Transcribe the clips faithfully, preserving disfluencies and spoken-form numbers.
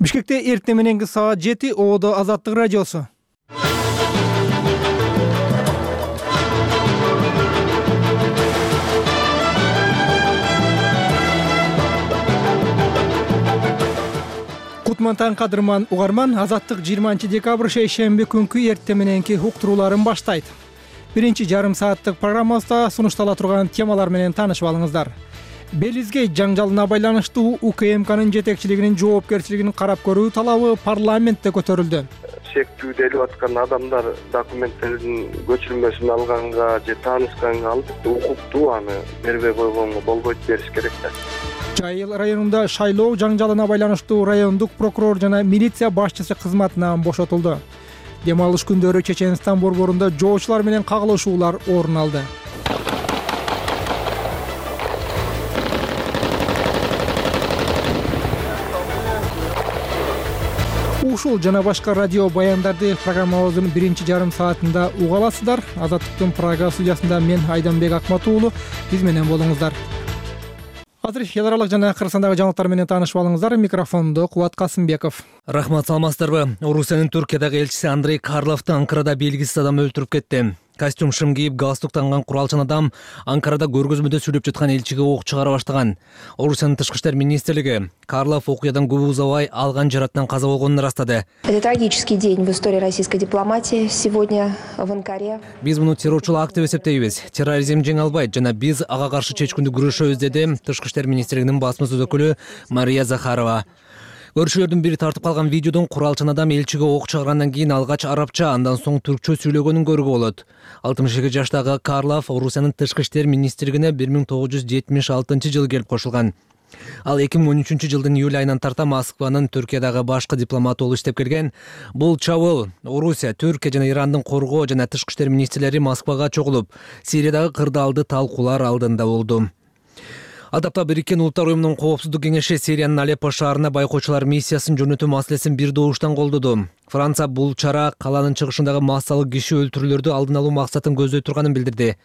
Бишкекте эртең мененки саат жети Оодо Азаттык радиосу. Кутман таң кадырман угарман, Азаттык жыйырманчы декабрь шейшемби күнкү эртең мененки уктурууларын баштайт. Биринчи жарым сааттык программабызда сунуштала турган темалар менен таанышып алыңыздар. Белизге жаңжалына байланыштуу УКМКнын жетекчилигинин жоопкерчилигин карап көрүү талабы парламентте көтөрүлдү. Шектүүлдөлүп аткан адамдар документтердин көчүрмөсүн алганга же таанышканга албетте укуктуу, аны бербей койгонго болбойт, бериш керек да. Жайыл районунда шайлоо жаңжалына байланыштуу райондук прокурор жана милиция башчысы кызматынан бошотулду. Дем алыш күндөрү Чеченстан борборунда жоочулар менен кагылышуулар орун алды. Ушул жана башка радио баяндарды программабыздын биринчи жарым саатында уга аласыздар. Азаттыктын Прага студиясында мен Айданбек Акматуулу, биз менен болуңуздар. Азыр эл аралык жана Кыргызстандагы жаңылыктар менен таанышып алыңыздар. Микрофондо Кубат Касымбеков. Рахмат, саламатсыздарбы? Орусиянын Түркиядагы элчиси Андрей Карловду Анкарада белгисиз адам өлтүрүп кетти. Костюм шым кийип, галстук танган куралчан адам Анкарада көргөзмөдө сүйлөп жаткан элчиге ок чыгара баштаган. Орусиянын тышкы иштер министрлиги Карлов окуядан көп узабай алган жаракаттан каза болгонун ырастады. Это трагический день в истории российской дипломатии сегодня в Анкаре. Биз муну террорчулук акты деп эсептейбиз. Терроризм жеңе албайт жана биз ага каршы чечкиндүү күрөшөбүз, деди тышкы иштер министрлигинин басма сөз өкүлү Мария Захарова. Көрүүчүлөрдүн бири тартып калган видеодон куралчан адам элчиге ок чыгаргандан кийин алгач арабча, андан соң түркчө сүйлөгөнүн көрүүгө болот. алтымыш эки жаштагы Карлов Орусиянын тышкы иштер министрлигине бир миң тогуз жүз жетимиш алтынчы жылы келип кошулган. Ал эки миң он үчүнчү жылдын июль айынан тарта Москванын Түркиядагы башкы дипломаты болуп иштеп келген. Бул чабуул Орусия, Түркия жана Ирандын коргоо жана тышкы иштер министрлери Москвага чогулуп, Сириядагы кырдаалды талкуулар алдында болду. Адапта Бириккен Улуттар уюмунун коопсуздук кеңеши Сириянын Алеппо шаарына байкоочулар миссиясын жөнөтүү маселесин бир добуштан колдоду. Франция бул чара каланын чыгышындагы массалык киши өлтүрүүлөрдү алдын алуу максатын көздөй турганын билдирди.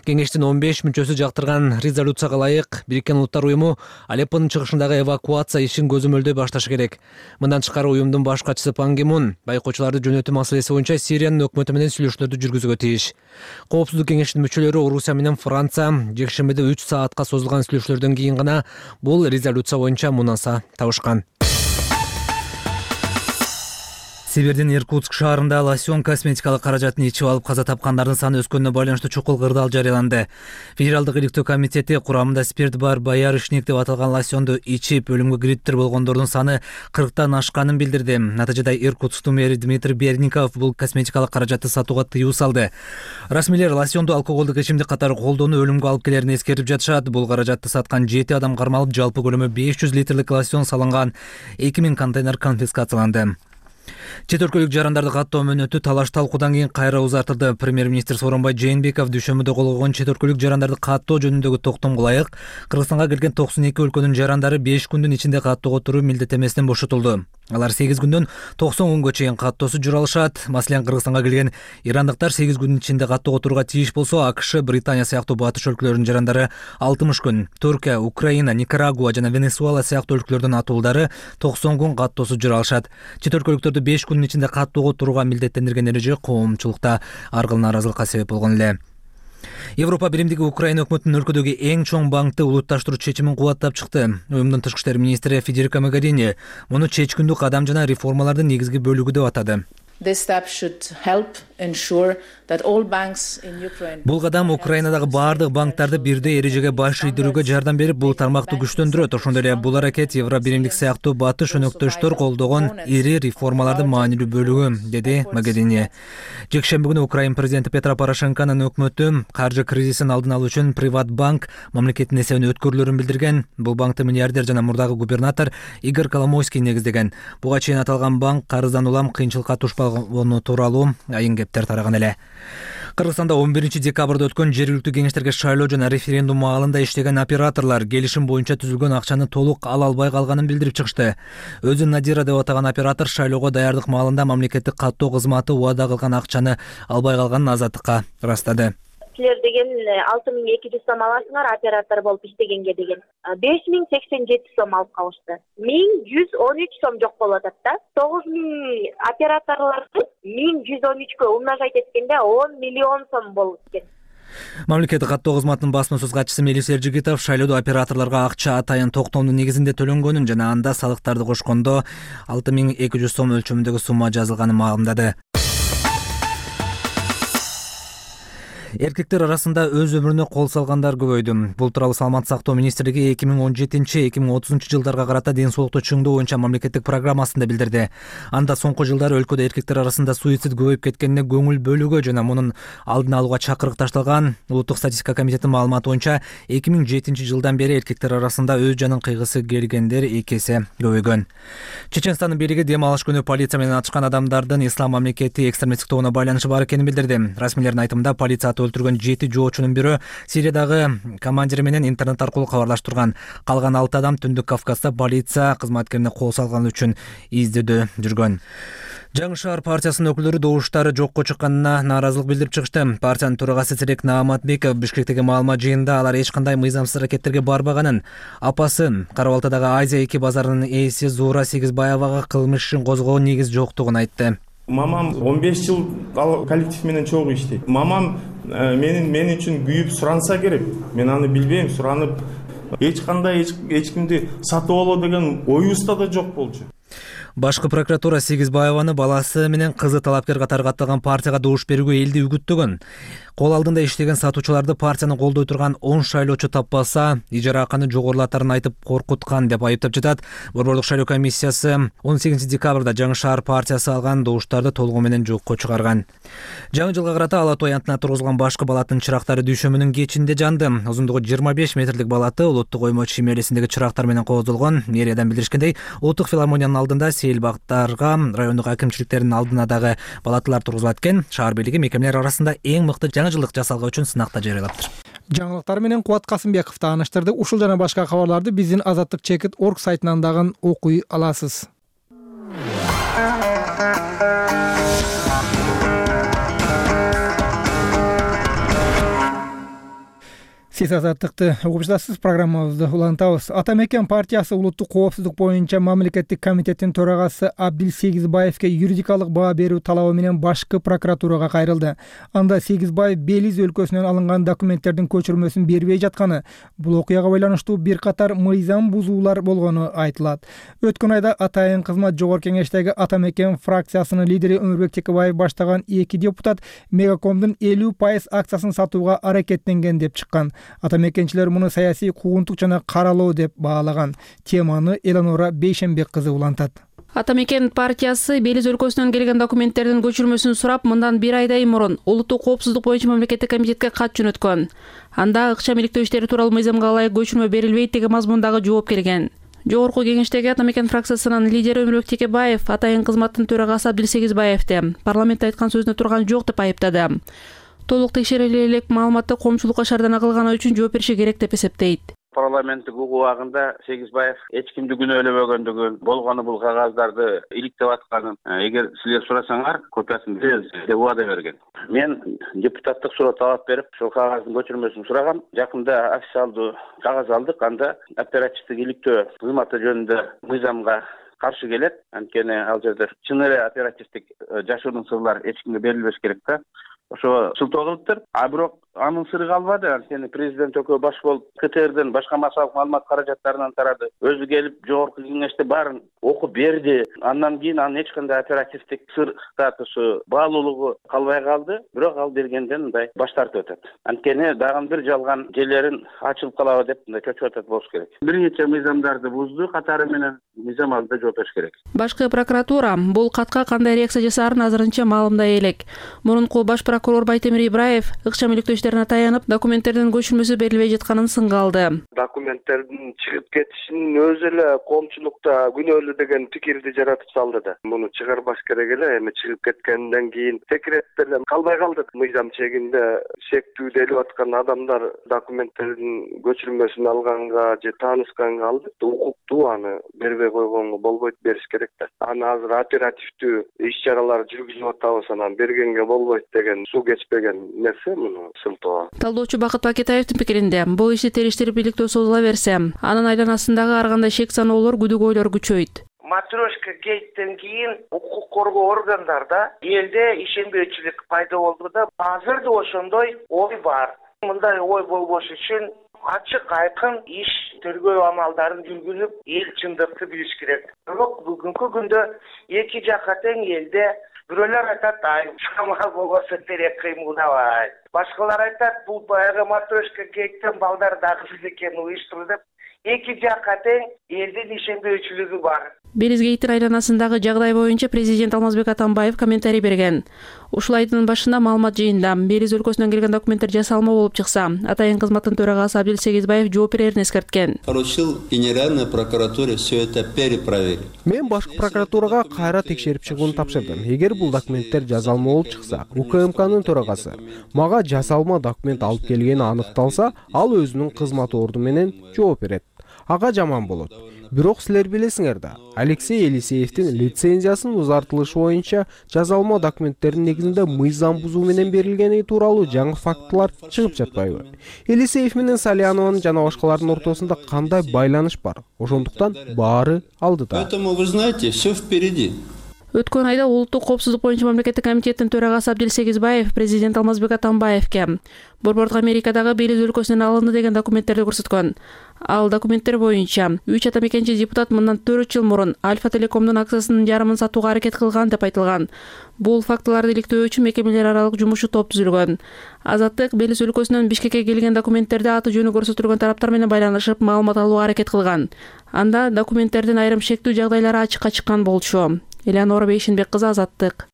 Кеңештин он беш мүчөсү жактырган резолюцияга ылайык Бириккен Улуттар уюму Алеппонун чыгышындагы эвакуация ишин көзөмөлдөй башташы керек. Мындан тышкары уюмдун баш катчысы Пан Ги Мун байкоочуларды жөнөтүү маселеси боюнча Сириянын өкмөтү менен сүйлөшүүлөрдү жүргүзүүгө тийиш. Коопсуздук кеңешинин мүчөлөрү Орусия менен Франция жекшембиде үч саатка созулган сүйлөшүүлөрдөн кийин гана бул резолюция боюнча мунаса табышкан. Сибирдин Иркутск шаарында лосьон косметикалык каражатын ичип алып каза тапкандардын саны өскөнүнө байланыштуу чукул кырдаал жарыяланды. Федералдык иликтөө комитети курамында спирт бар боярышник деп аталган лосьонду ичип өлүмгө кириптир болгондордун саны кырктан ашканын билдирди. Натыйжада Иркутсктун мэри Дмитрий Берников бул косметикалык каражатты сатууга тыюу салды. Расмийлер лосьонду алкоголдук ичимдик катары колдонуу өлүмгө алып келерин эскерип жатышат. Бул каражатты саткан жети адам кармалып, жалпы көлөмү беш жүз литрлик лосьон салынган эки миң контейнер конфискацияланды. Чет өлкөлүк жарандарды каттоо мөөнөтү талаш талкуудан кийин кайра узартылды. Премьер-министр Сооронбай Жээнбеков дүйшөмбүдө кол койгон чет өлкөлүк жарандарды каттоо жөнүндөгү токтомго ылайык Кыргызстанга келген токсон эки өлкөнүн жарандары беш күндүн ичинде каттоого туруу милдеттенмесинен бошотулду. Алар сегиз күндөн токсон күнгө чейин каттоосу жүралышат. Маселен, Кыргызстанга келген ирандыктар сегиз күндүн ичинде каттоого турууга тийиш болсо, АКШ, Британия сыяктуу батыш өлкөлөрүнүн жарандары алтымыш күн, Түркия, Украина, Никарагуа жана Венесуэла сыяктуу өлкөлөрдүн атуулдары токсон күн каттоосу жүралышат. Чет өлкөлүктөрдү беш күндүн ичинде каттоого турууга милдеттендирген эреже коомчулукта ар кыл нааразылыкка себеп болгон эле. Европа биримдиги Украина өкмөтүнүн өлкөдөгү эң чоң банкты улутташтыруу чечимин кубаттап чыкты. Уюмдун тышкы иштер министри Федерико Могерини муну чечкиндүү кадам жана реформалардын негизги бөлүгү деп атады. Бул кадам Украинадагы баардык банктарды бирдей эрежеге баш ийдирүүгө жардам берип, бул тармакты күчтөндүрөт. Ошондой эле бул аракет Евро биримдик сыяктуу батыш өнөктөштөр колдогон ири реформалардын маанилүү бөлүгү, деди Могерини. Жекшемби күнү Украина президенти Петро Порошенконун өкмөтү каржы кризисин алдын алуу үчүн Приватбанк мамлекеттин эсебине өткөрүлөрүн билдирген. Бул банкты миллиардер жана мурдагы губернатор Игорь Коломойский негиздеген. Буга чейин аталган банк карыздан улам кыйынчылыкка тушпаганы тууралуу айын кептер тараган эле. Кыргызстанда он биринчи декабрда өткөн жергиликтүү кеңештерге шайлоо жана референдум маалында иштеген операторлор келишим боюнча түзүлгөн акчаны толук ала албай калганын билдирип чыгышты. Өзүн Надира деп атаган оператор шайлоого даярдык маалында мамлекеттик каттоо кызматы убада кылган акчаны албай калганын Азаттыкка ырастады. силер деген алты миң эки жүз сом аласыңар оператор болуп иштегенге деген. беш миң сексен жети сом алып калышты. миң жүз он үч сом жок болуп атат да. тогуз миң операторлорду миң жүз он үчкө умножать эткенде он миллион сом болуп экен. Мамлекеттик каттоо кызматынын басма сөз катчысы Мелис Эржигитов шайлоодо операторлорго акча атайын токтомдун негизинде төлөнгөнүн жана анда салыктарды кошкондо алты миң эки жүз сом өлчөмүндөгү сумма жазылганын маалымдады. Эркектер арасында өз өмүрүнө кол салгандар көбөйдү. Бул тууралуу Саламаттык сактоо министрлиги эки миң он жетинчи эки миң отузунчу жылдарга карата ден соолукту чыңдоо боюнча мамлекеттик программасында билдирди. Анда соңку жылдары өлкөдө эркектер арасында суицид көбөйүп кеткенине көңүл бөлүүгө жана мунун алдын алууга чакырык ташталган. Улуттук статистика комитетинин маалыматы боюнча эки миң жетинчи жылдан бери эркектер арасында өз жанын кыйгысы келгендер эки эсе көбөйгөн. Чеченстандын бийлиги дем алыш күнү полиция менен атышкан адамдардын ислам мамлекети экстремисттик тобуна байланышы бар экенин билдирди. Расмийлердин айтымында полиция өлтүргөн жети жоочунун бирөө Сириядагы командири менен интернет аркылуу кабарлаштырган. Калган алты адам Түндүк Кавказда полиция кызматкерине кол салганы үчүн издөөдө жүргөн. Жаңы шаар партиясынын өкүлдөрү добуштары жокко чыкканына нааразылык билдирип чыгышты. Партиянын төрагасы Серек Нааматбеков Бишкектеги маалымат жыйынында алар эч кандай мыйзамсыз аракеттерге барбаганын, апасы Кара-Балтадагы Азия эки базарынын ээси Зуура Сегизбаевага кылмыш ишин козгоо негиз жоктугун айтты. Мамам он беш жыл ал коллектив менен чогуу иштейт. Мамам менин мен үчүн күйүп суранса керек. Мен аны билбейм, суранып эч кандай эч кимди сатып алуу деген оюбузда да жок болчу. Башкы прокуратура Сегизбаеваны баласы менен кызы талапкер катары катталган партияга добуш берүүгө элди үгүттөгөн. Кол алдында иштеген сатуучуларды партияны колдой турган он шайлоочу таппаса, ижара акыны жогорулатарын айтып коркуткан деп айыптап жатат. Борборлук шайлоо комиссиясы он сегизинчи декабрда Жаңы шаар партиясы алган добуштарды толугу менен жокко чыгарган. Жаңы жылга карата Ала Той антына тургузулган башкы балаттын чырактары дүйшөмүнүн кечинде жанды. Узундугу жыйырма беш метрлик балаты улуттук оймо чимелесиндеги чырактар менен кооздолгон. Мэриядан билдиришкендей, улуттук филармониянын алдында сейил бактарга, райондук акимчиликтердин алдына дагы балатылар тургузулат экен. Шаар бийлиги мекемелер арасында эң мыкты жаңы жылдык жасалган үчүн сынакта жарыялаптыр. Жаңылыктар менен Кубат Касымбеков тааныштырды. Ушул жана башка кабарларды биздин азаттык чекит точка орг сайтынан дагы окуй аласыз. Сиз азаттыкты угуп жатасыз. Программабызды улантабыз. Ата мекен партиясы улуттук коопсуздук боюнча мамлекеттик комитеттин төрагасы Абдил Сегизбаевке юридикалык баа берүү талабы менен башкы прокуратурага кайрылды. Анда Сегизбаев Белиз өлкөсүнөн алынган документтердин көчүрмөсүн бербей жатканы, бул окуяга байланыштуу бир катар мыйзам бузуулар болгону айтылат. Өткөн айда Атайын кызмат жогорку кеңештеги Ата мекен фракциясынын лидери Өмүрбек Текебаев баштаган эки депутат Мегакомдун элүү пайыз акциясын сатууга аракеттенген деп чыккан. Ата мекенчилер муну саясий куугунтук жана каралоо деп баалаган. Теманы Эланора Бейшенбек кызы улантат. Ата мекен партиясы Белиз өлкөсүнөн келген документтердин көчүрмөсүн сурап, мындан бир айдай мурун улуттук коопсуздук боюнча мамлекеттик комитетке кат жөнөткөн. Анда ыкчам иликтөө иштери тууралуу мыйзамга ылайык көчүрмө берилбейт деген мазмундагы жооп келген. Жогорку кеңештеги Ата мекен фракциясынын лидери Өмүрбек Текебаев Атайын кызматтын төрагасы Абдил Сегизбаевди парламентте айткан сөзүнө турган жок деп айыптады. Толук текшериле элек маалыматты коомчулукка шаардана кылганы үчүн жооп бериши керек деп эсептейт. Парламенттик убагында Сегизбаев эч кимди күнөөлөбөгөндүгүн, болгону бул кагаздарды иликтеп атканын, эгер силер сурасаңар, копиясын беребиз деп убада берген. Мен депутаттык суроо талап берип, ошол кагаздын көчүрмөсүн сурагам. Жакында официалдуу кагаз алдык. Анда оперативдик иликтөө кызматы жөнүндө мыйзамга каршы келет. Анткени ал жерде чын эле оперативдик жашыруун сырлар эч кимге берилбеш керек да. Ошо сылтоолуптур. А бирок анын сыры калбады. Анткени президент өкөө баш болуп КТРден башка массалык маалымат каражаттарынан тарады. Өзү келип жогорку кеңеште баарын окуп берди. Андан кийин анын эч кандай оперативдик сыр статусу, баалуулугу калбай калды. Бирок ал бергенден мындай баш тартып атат. Анткени дагы бир жалган жерлерин ачылып калабы деп мындай чөчүп атат болуш керек. Бир нече мыйзамдарды бузду, катары менен мыйзам алдында жооп бериш керек. Башкы прокуратура бул катка кандай реакция жасаарын азырынча маалымдай элек. Мурунку баш прокурор Байтемир Ибраев ыкчам иликтөө иштерине таянып, документтердин көчүрмөсү берилбей жатканын сынга алды. Документтердин чыгып кетишинин өзү эле коомчулукта күнөөлүү деген пикирди жаратып салды да. Муну чыгарбаш керек эле, эми чыгып кеткенден кийин секрет деле калбай калды. Мыйзам чегинде шектүү делип аткан адамдар документтердин көчүрмөсүн алганга же таанышканга албетте укуктуу аны бербей бербей койгонго болбойт, бериш керек да. Аны азыр оперативдүү иш чаралар жүргүзүп атабыз, анан бергенге болбойт деген суу кечпеген нерсе муну сылтоо. Талдоочу Бакыт Бакетаевдин пикиринде, бул ишти териштирип иликтөө созула берсе, анын айланасындагы ар кандай шек саноолор, күдүгөйлөр күчөйт. Матрешка гейттен кийин укук коргоо органдарда элде ишенбөөчүлүк пайда болду да, азыр да ошондой ой бар. Мындай ой болбош үчүн ачык айкын иш тергөө амалдарын жүргүзүп, эл чындыкты билиш керек. Бирок бүгүнкү күндө эки жакка тең элде бирөөлөр айтат, ай шамал болбосо терек кыймылдабай. Башкалар айтат, бул баягы матрешка гейттен балдар дагы экен уюштурду деп. Эки жакка тең элдин ишенбөөчүлүгү бар. Белизгейттин айланасындагы жагдай боюнча президент Алмазбек Атамбаев комментарий берген. Ушул айдын башында маалымат жыйында Белиз өлкөсүнөн келген документтер жасалма болуп чыкса, атайын кызматтын төрагасы Абдил Сегизбаев жооп берерин эскерткен. Поручил Генеральной прокуратуре все это перепроверить. Мен башкы прокуратурага кайра текшерип чыгууну тапшырдым. Эгер бул документтер жасалма болуп чыкса, УКМКнын төрагасы мага жасалма документ алып келгени аныкталса, ал өзүнүн кызмат орду менен жооп берет. Ага жаман болот. Бирок силер билесиңер да, Алексей Елисеевдин лицензиясынын узартылышы боюнча жазалма документтердин негизинде мыйзам бузуу менен берилгени тууралуу жаңы фактылар чыгып жатпайбы? Елисеев менен Салянованын жана башкалардын ортосунда кандай байланыш бар? Ошондуктан баары алдыда. Поэтому вы знаете, все впереди. Өткөн айда улуттук коопсуздук боюнча мамлекеттик комитеттин төрагасы Абдил Сегизбаев президент Алмазбек Атамбаевке борбордук Америкадагы Белиз өлкөсүнөн алынды деген документтерди көрсөткөн. Ал документтер боюнча үч атамекенчи депутат мындан төрт жыл мурун Альфа Телекомдун акциясынын жарымын сатууга аракет кылган деп айтылган. Бул фактыларды иликтөө үчүн мекемелер аралык жумушчу топ түзүлгөн. Азаттык Белиз өлкөсүнөн Бишкекке келген документтерде аты жөнү көрсөтүлгөн тараптар менен байланышып, маалымат алууга аракет кылган. Анда документтердин айрым шектүү жагдайлары ачыкка чыккан болчу. Элеонора Бейшинбек кызы, Азаттык.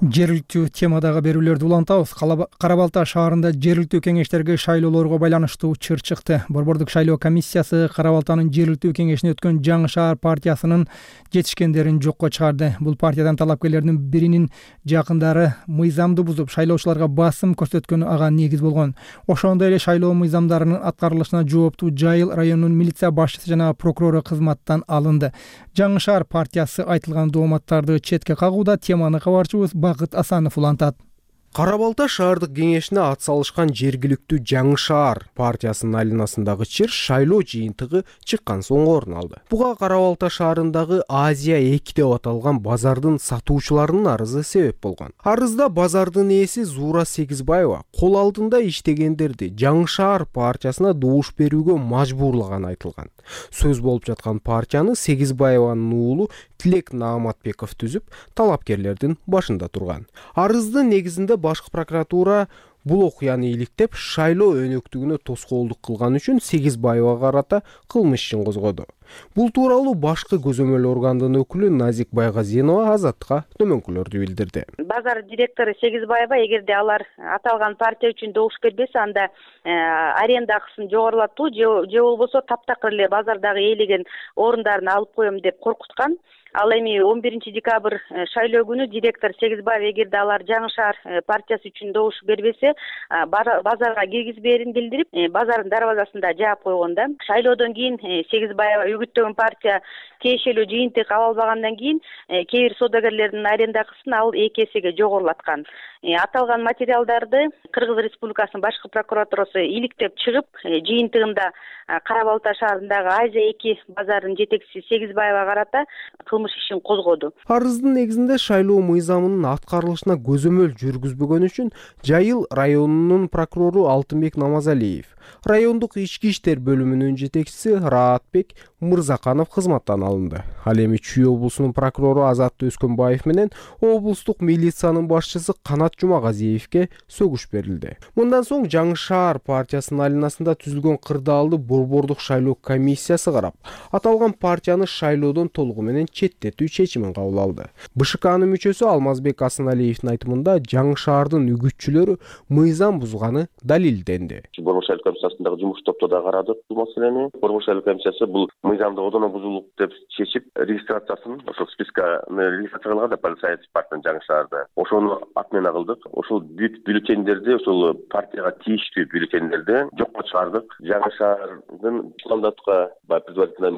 Жергиликтүү темадагы берүүлөрдү улантабыз. Кара Балта шаарында жергиликтүү кеңештерге шайлоолорго байланыштуу чыр чыкты. Борбордук шайлоо комиссиясы Кара Балтанын жергиликтүү кеңешине өткөн Жаңы шаар партиясынын жетишкендерин жокко чыгарды. Бул партиядан талапкерлердин биринин жакындары мыйзамды бузуп, шайлоочуларга басым көрсөткөнү ага негиз болгон. Ошондой эле шайлоо мыйзамдарынын аткарылышына жооптуу Жайыл районунун милиция башчысы жана прокурору кызматтан алынды. Жаңы шаар партиясы айтылган дооматтарды четке кагууда. Теманы кабарчыбыз Бакыт Асанов улантат. Кара Балта шаардык кеңешине ат салышкан жергиликтүү Жаңы шаар партиясынын айланасындагы чыр шайлоо жыйынтыгы чыккан соң орун алды. Буга Кара Балта шаарындагы Азия эки деп аталган базардын сатуучуларынын арызы себеп болгон. Арызда базардын ээси Зуура Сегизбаева кол алдында иштегендерди Жаңы шаар партиясына добуш берүүгө мажбурлаганы айтылган. Сөз болуп жаткан партияны Сегизбаеванын уулу Тилек Нааматбеков түзүп, талапкерлердин башында турган. Арыздын негизинде башкы прокуратура бул окуяны иликтеп, шайлоо өнөктүгүнө тоскоолдук кылган үчүн Сегизбаевага карата кылмыш ишин козгоду. Бул тууралуу башкы көзөмөл органдын өкүлү Назик Байгазинова Азаттыкка төмөнкүлөрдү билдирди. Базар директору Сегизбаева эгерде алар аталган партия үчүн добуш бербесе, анда аренда акысын жогорулатуу же болбосо таптакыр эле базардагы ээлеген орундарын алып коем деп коркуткан. Ал эми он биринчи декабрь шайлоо күнү директор Сегизбаев эгерде алар Жаңы шаар партиясы үчүн добуш бербесе, базарга киргизбээрин билдирип, базардын дарбазасында жаап койгон да. Шайлоодон кийин Сегизбаева үгүттөгөн партия тиешелүү жыйынтык ала албагандан кийин кээ бир соодагерлердин аренда акысын ал эки эсеге жогорулаткан. Аталган материалдарды Кыргыз Республикасынын башкы прокуратурасы иликтеп чыгып, жыйынтыгында Кара Балта шаарындагы Азия эки базарынын жетекчиси Сегизбаевага карата кылмыш ишин козгоду. Арыздын негизинде шайлоо мыйзамынын аткарылышына көзөмөл жүргүзбөгөн үчүн Жайыл районунун прокурору Алтынбек Намазалиев, райондук ички иштер бөлүмүнүн жетекчиси Раатбек Мырзаканов кызматтан алынды. Ал эми Чүй облусунун прокурору Азат Өскөнбаев менен облустук милициянын башчысы Канат Жумагазиевке сөгүш берилди. Мындан соң Жаңы шаар партиясынын айланасында түзүлгөн кырдаалды борбордук шайлоо комиссиясы карап, аталган партияны шайлоодон толугу менен четтетүү чечимин кабыл алды. БШКнын мүчөсү Алмазбек Асаналиевдин айтымында Жаңы шаардын үгүтчүлөрү мыйзам бузганы далилденди. Борбордук шайлоо комиссиясындагы жумуш топто да карадык бул маселени. Борбордук шайлоо комиссиясы бул мыйзамды одоно бузулук деп чечип регистрациясын ошол списканы регистрация кылган да саясий партиянын Жаңы Шаарда ошону отмена кылдык. Ошол бүт бюллетендерди ошол партияга тийиштүү бюллетендерди жокко чыгардык. Жаңы Шаардын мандатка предварительно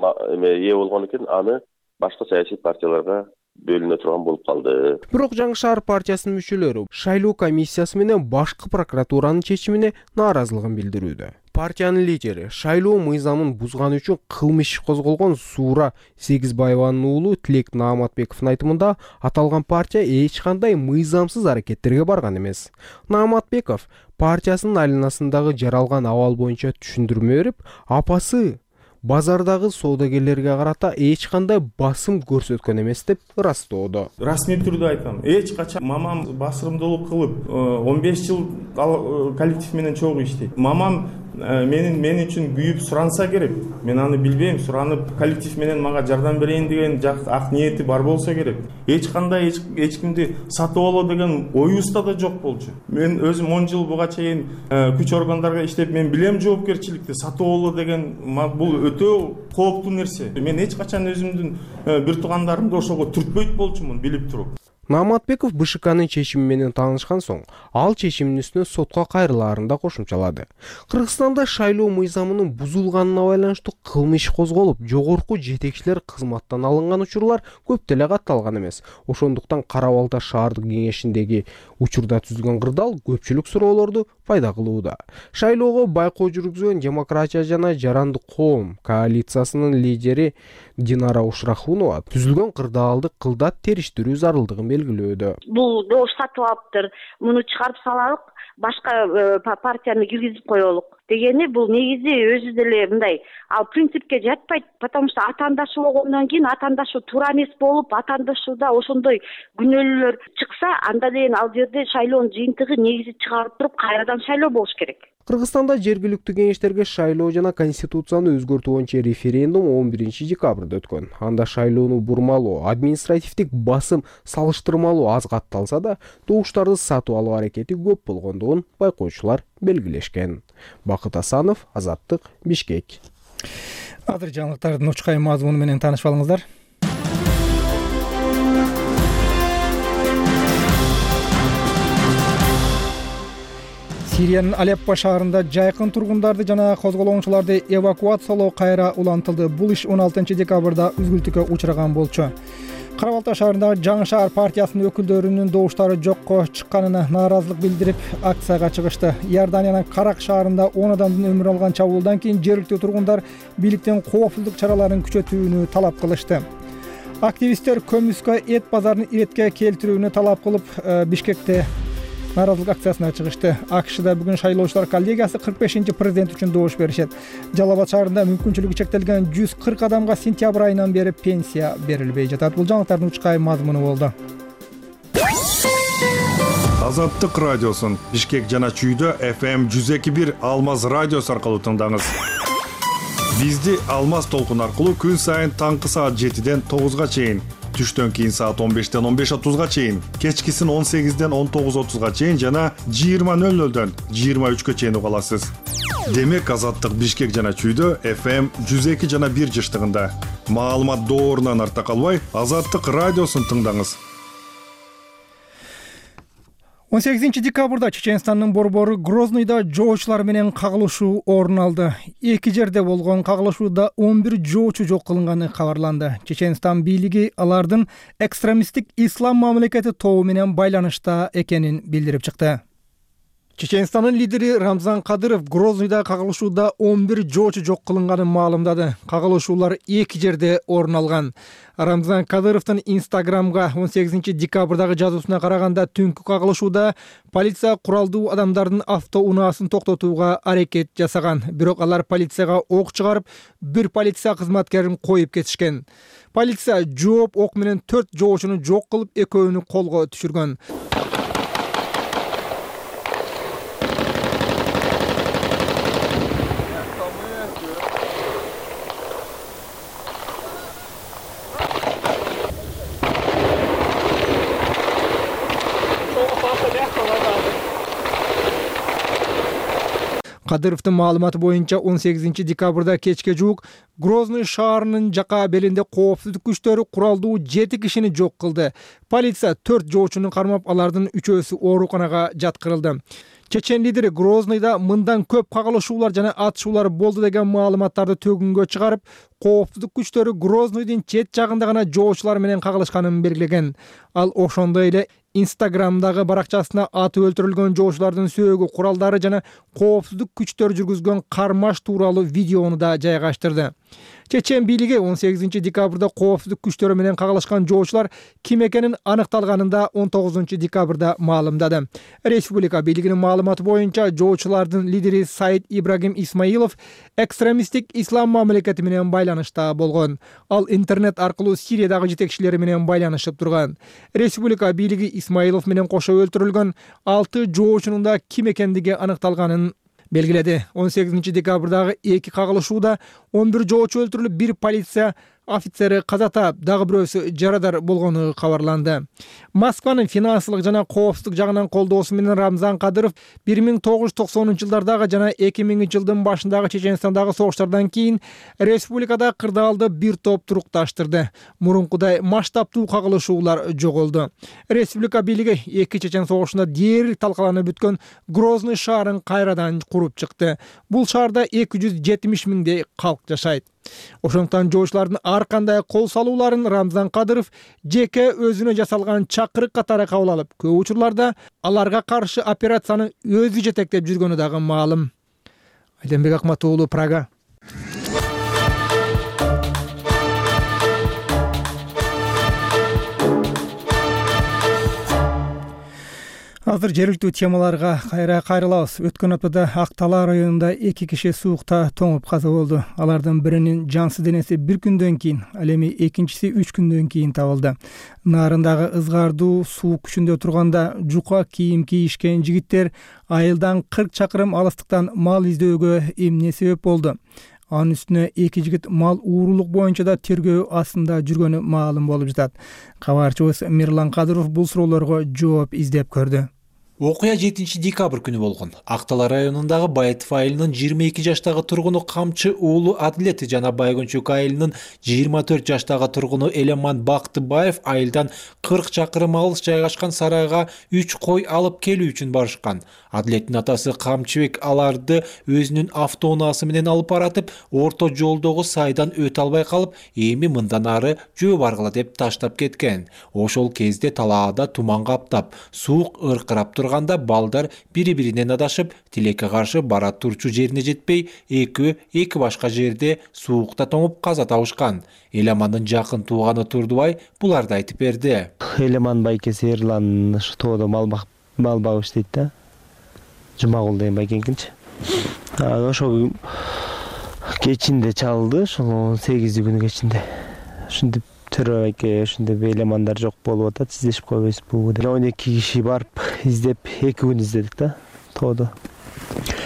ээ болгон экен, аны башка саясий партияларга бөлүнө турган болуп калды. Бирок Жаңы Шаар партиясынын мүчөлөрү шайлоо комиссиясы менен башкы прокуратуранын чечимине нааразылыгын билдирүүдө. Партиянын лидери шайлоо мыйзамын бузганы үчүн кылмыш иши козголгон Суура Сегизбаеванын уулу Тилек Нааматбековдун айтымында аталган партия эч кандай мыйзамсыз аракеттерге барган эмес. Нааматбеков партиясынын айланасындагы жаралган абал боюнча түшүндүрмө берип, апасы базардагы соодагерлерге карата эч кандай басым көрсөткөн эмес деп ырастоодо. Расмий түрдө айтам, эч качан мамам басырымдуулук кылып он беш жыл коллектив менен чогуу иштейт. Мамам менин мен үчүн күйүп суранса керек. Мен аны билбейм, суранып коллектив менен мага жардам берейин деген жакты ак ниети бар болсо керек. Эч кандай эч кимди сатып алуу деген оюбузда да жок болчу. Мен өзүм он жыл буга чейин күч органдарга иштеп, мен билем жоопкерчиликти. Сатып алуу деген бул өтө кооптуу нерсе. Мен эч качан өзүмдүн бир туугандарымды ошого түртпөйт болчумун билип туруп. Нааматбеков БШКнын чечими менен таанышкан соң, ал чечимдин үстүнө сотко кайрылаарын да кошумчалады. Кыргызстанда шайлоо мыйзамынын бузулганына байланыштуу кылмыш козголуп, жогорку жетекчилер кызматтан алынган учурлар көп деле катталган эмес. Ошондуктан Кара Балта шаардык кеңешиндеги учурда түзүлгөн кырдаал көпчүлүк суроолорду пайда кылууда. Шайлоого байкоо жүргүзгөн Демократия жана Жарандык коом коалициясынын лидери Динара Ушрахунова түзүлгөн кырдаалды кылдат териштирүү зарылдыгын белгилөөдө. Бул добуш сатып алыптыр, муну чыгарып салалык, башка партияны киргизип коелук дегени бул негизи өзү деле мындай ал принципке жатпайт, потому что атаандашуу болгондон кийин атаандашуу туура эмес болуп, атаандашууда ошондой күнөөлөр чыкса, анда дейин ал жерде шайлоонун жыйынтыгы негизи чыгарып туруп кайрадан шайлоо болуш керек. Кыргызстанда жергиликтүү кеңештерге шайлоо жана конституцияны өзгөртүү боюнча референдум он биринчи декабрда өткөн. Анда шайлоону бурмалоо, административдик басым салыштырмалуу аз катталса да, добуштарды сатып алуу аракети көп болгондугун байкоочулар белгилешкен. Бакыт Асанов, Азаттык, Бишкек. Азыр жаңылыктардын учкай мазмуну менен таанышып алыңыздар. Сириянын Алеппо шаарында жайкын тургундарды жана козголоңчуларды эвакуациялоо кайра улантылды. Бул иш он алтынчы декабрда үзгүлтүккө учураган болчу. Кара Балта шаарындагы Жаңы Шаар партиясынын өкүлдөрүнүн добуштары жокко чыкканына нааразылык билдирип, акцияга чыгышты. Иорданиянын Карак шаарында он адамдын өмүрүн алган чабуулдан кийин жергиликтүү тургундар бийликтен коопсуздук чараларын күчөтүүнү талап кылышты. Активисттер көмүскө эт базарын иретке келтирүүнү талап кылып, Бишкекте нааразылык акциясына чыгышты. АКШда бүгүн шайлоочулар коллегиясы кырк бешинчи президент үчүн добуш беришет. Жалал Абад шаарында мүмкүнчүлүгү чектелген жүз кырк адамга сентябрь айынан бери пенсия берилбей жатат. Бул жаңылыктардын учкай мазмуну болду. Азаттык радиосун Бишкек жана Чүйдө эф эм жүз эки бир Алмаз радиосу аркылуу тыңдаңыз. Бизди Алмаз толкун аркылуу күн сайын таңкы саат жетиден тогузга чейин, түштөн кийин саат он бештен он беш отузга чейин, кечкисин он сегизден он тогуз отузга чейин жана жыйырма нөл нөлдөн жыйырма үчкө чейин уга аласыз. Демек Азаттык Бишкек жана Чүйдө эф эм жүз эки жана бир жыштыгында. Маалымат доорунан артта калбай, Азаттык радиосун тыңдаңыз. он сегизинчи декабрда Чеченстандын борбору Грознойдо жоочулар менен кагылышуу орун алды. Эки жерде болгон кагылышууда он бир жоочу жок кылынганы кабарланды. Чеченстан бийлиги алардын экстремисттик ислам мамлекети тобу менен байланышта экенин билдирип чыкты. Чеченстандын лидери Рамзан Кадыров Грознойдо кагылышууда он бир жоочу жок кылынганын маалымдады. Кагылышуулар эки жерде орун алган. Рамзан Кадыровдун Инстаграмга он сегизинчи декабрдагы жазуусуна караганда, түнкү кагылышууда полиция куралдуу адамдардын автоунаасын токтотууга аракет жасаган. Бирок алар полицияга ок чыгарып, бир полиция кызматкерин коюп кетишкен. Полиция жооп ок менен төрт жоочуну жок кылып, экөөнү колго түшүргөн. Кадыровдун маалыматы боюнча он сегизинчи декабрда кечке жуук Грозный шаарынын жака белинде коопсуздук күчтөрү куралдуу жети кишини жок кылды. Полиция төрт жоочуну кармап, алардын үчөөсү ооруканага жаткырылды. Чечен лидери Грознойдо мындан көп кагылышуулар жана атышуулар болду деген маалыматтарды төгүнгө чыгарып, коопсуздук күчтөрү Грознойдун чет жагында гана жоочулар менен кагылышканын белгилеген. Ал ошондой эле Инстаграмдагы баракчасына аты өлтүрүлгөн жоочулардын сөөгү, куралдары жана коопсуздук күчтөр жүргүзгөн кармаш тууралуу видеону да жайгаштырды. Чечен бийлиги он сегизинчи декабрда коопсуздук күчтөрү менен кагылышкан жоочулар ким экенин аныкталганын да он тогузунчу декабрда маалымдады. Республика бийлигинин маалыматы боюнча жоочулардын лидери Саид Ибрагим Исмаилов экстремисттик ислам мамлекети менен байланышта болгон. Ал интернет аркылуу Сириядагы жетекчилери менен байланышып турган. Республика бийлиги Исмаилов менен кошо өлтүрүлгөн алты жоочунун да ким экендиги аныкталганын белгиледи. он сегизинчи декабрдагы эки кагылышууда он бир жоочу өлтүрүлүп, бир полиция офицери каза таап, дагы бирөөсү жарадар болгону кабарланды. Москванын финансылык жана коопсуздук жагынан колдоосу менен Рамзан Кадыров бир миң тогуз жүз токсонунчу жылдардагы жана эки миңинчи жылдын башындагы Чеченстандагы согуштардан кийин республикада кырдаалды бир топ турукташтырды. Мурункудай масштабтуу кагылышуулар жоголду. Республика бийлиги эки Чечен согушунда дээрлик талкаланып бүткөн Грозный шаарын кайрадан куруп чыкты. Бул шаарда эки жүз жетимиш миңдей калк жашайт. Ошондуктан жоочулардын ар кандай кол салууларын Рамзан Кадыров жеке өзүнө жасалган чакырык катары кабыл алып, көп учурларда аларга каршы операцияны өзү жетектеп жүргөнү дагы маалым. Айденбек Акмат уулу, Прага. Азыр жергиликтүү темаларга кайра кайрылабыз. Өткөн аптада Ак Талаа районунда эки киши суукта тоңуп каза болду. Алардын биринин жансыз денеси бир күндөн кийин, ал эми экинчиси үч күндөн кийин табылды. Нарындагы ызгаардуу суук күчүндө турганда жука кийим кийишкен жигиттер айылдан кырк чакырым алыстыктан мал издөөгө эмне себеп болду? Анын үстүнө эки жигит мал уурулук боюнча да тергөө астында жүргөнү маалым болуп жатат. Кабарчыбыз Мирлан Кадыров бул суроолорго жооп издеп көрдү. Окуя жетинчи декабрь күнү болгон. Ак Талаа районундагы Байытов айылынын жыйырма эки жаштагы тургуну Камчы уулу Адлет жана Байгончук айылынын жыйырма төрт жаштагы тургуну Элеман Бактыбаев айылдан кырк чакырым алыс жайгашкан сарайга үч кой алып келүү үчүн барышкан. Адлеттин атасы Камчыбек аларды өзүнүн автоунаасы менен алып баратып, орто жолдогу сайдан өтө албай калып, эми мындан ары жөө баргыла деп таштап кеткен. Ошол кезде талаада туман каптап, суук ыркырап турганда балдар бири-биринен адашып, тилекке каршы бара турчу жерине жетпей, экөө эки башка жерде суукта тоңуп каза табышкан. Элемандын жакын тууганы Турдубай буларды айтып берди. Элеман байкеси Эрлан тоодо мал багып иштейт да. Жумагул деген байкенкинчи. Ошол кечинде чалды, ошол он сегизи күнү кечинде. Ушинтип Төрө байке ушинтип элемандар жок болуп атат, издешип койбойсузбу деп. он эки киши барып издеп, эки күн издедик да, тоодо.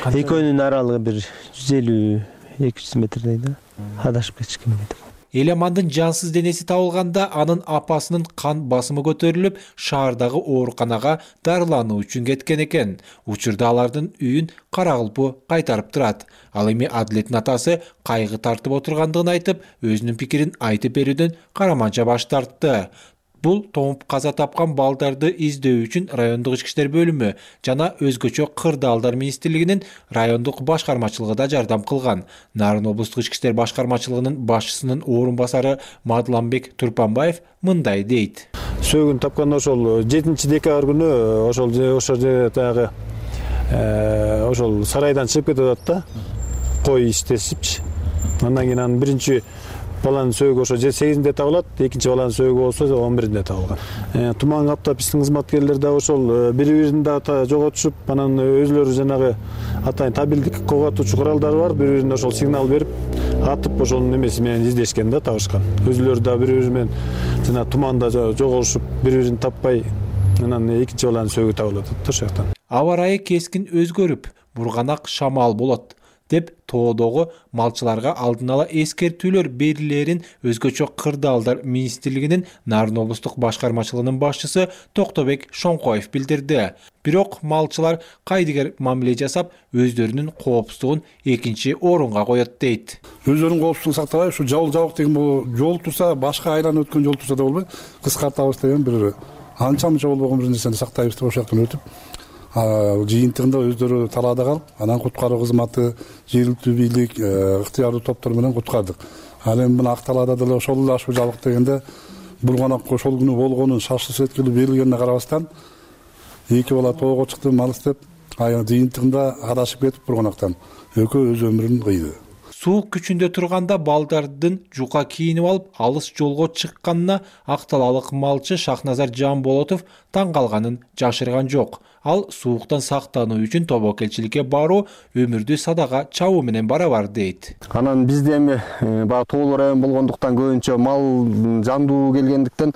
Экөөнүн аралыгы бир жүз элүү эки жүз метрдей да. Адашып кетишкен деп. Элемандын жансыз денеси табылганда анын апасынын кан басымы көтөрүлүп, шаардагы ооруканага дарылануу үчүн кеткен экен. Учурда алардын үйүн Каракылпы кайтарып турат. Ал эми Адлеттин атасы кайгы тартып отургандыгын айтып, өзүнүн пикирин айтып берүүдөн караманча баш тартты. Бул тоңуп каза тапкан балдарды издөө үчүн райондук ички иштер бөлүмү жана өзгөчө кырдаалдар министрлигинин райондук башкармачылыгы да жардам кылган. Нарын облустук ички иштер башкармачылыгынын башчысынын орун басары Мадланбек Турпанбаев мындай дейт. Сөөгүн тапкан ошол жетинчи декабрь күнү ошол ошол жерде тагы ошол сарайдан чыгып кетип атат да. Кой иштешипчи. Андан кийин анын биринчи баланын сөөгү ошо сегизинде табылат, экинчи баланын сөөгү болсо он биринде табылган. Туман каптап биздин кызматкерлер да ошол бири-бирин да жоготушуп, анан өзүлөрү жанагы атайын табилдик коготуучу куралдары бар, бири-бирине ошол сигнал берип, атып ошонун эмеси менен издешкен да, табышкан. Өзүлөрү да бири-бири менен жана туманда жоголушуп, бири-бирин таппай, анан экинчи баланын сөөгү табылып атат ошол жактан. Аба ырайы кескин өзгөрүп, бурганак шамал болот. деп тоодогу малчыларга алдын ала эскертүүлөр берилерин өзгөчө кырдаалдар министрлигинин Нарын облустук башкармачылыгынын башчысы Токтобек Шоңкоев билдирди. Бирок малчылар кайдыгер мамиле жасап, өздөрүнүн коопсуздугун экинчи орунга коет дейт. Өздөрүнүн коопсуздугун сактабай, ушу жабыл жабык деген бул жол турса, башка айланып өткөн жол турса да болбой, кыскартабыз деген бир анча-мынча болбогон бир нерсени сактайбыз деп ошол жактан өтүп, жыйынтыгында өздөрү талаада калып, анан куткаруу кызматы, жергиликтүү бийлик, ыктыярдуу топтор менен куткардык. Ал эми мына ак талаада деле ошол эле ашуу жабык дегенде булганак ошол күнү болгонун шарттуу эткилүү берилгенине карабастан эки бала тоого чыкты мал издеп, жыйынтыгында адашып кетип булганактан экөө өз өмүрүн кыйды. Суук күчүндө турганда балдардын жука кийинип алып, алыс жолго чыкканына ак талаалык малчы Шахназар Жамболотов таң калганын жашырган жок. Ал сууктан сактануу үчүн тобокелчиликке баруу өмүрдү садага чабуу менен барабар дейт. Анан бизде эми баягы тоолуу район болгондуктан көбүнчө мал жандуу келгендиктен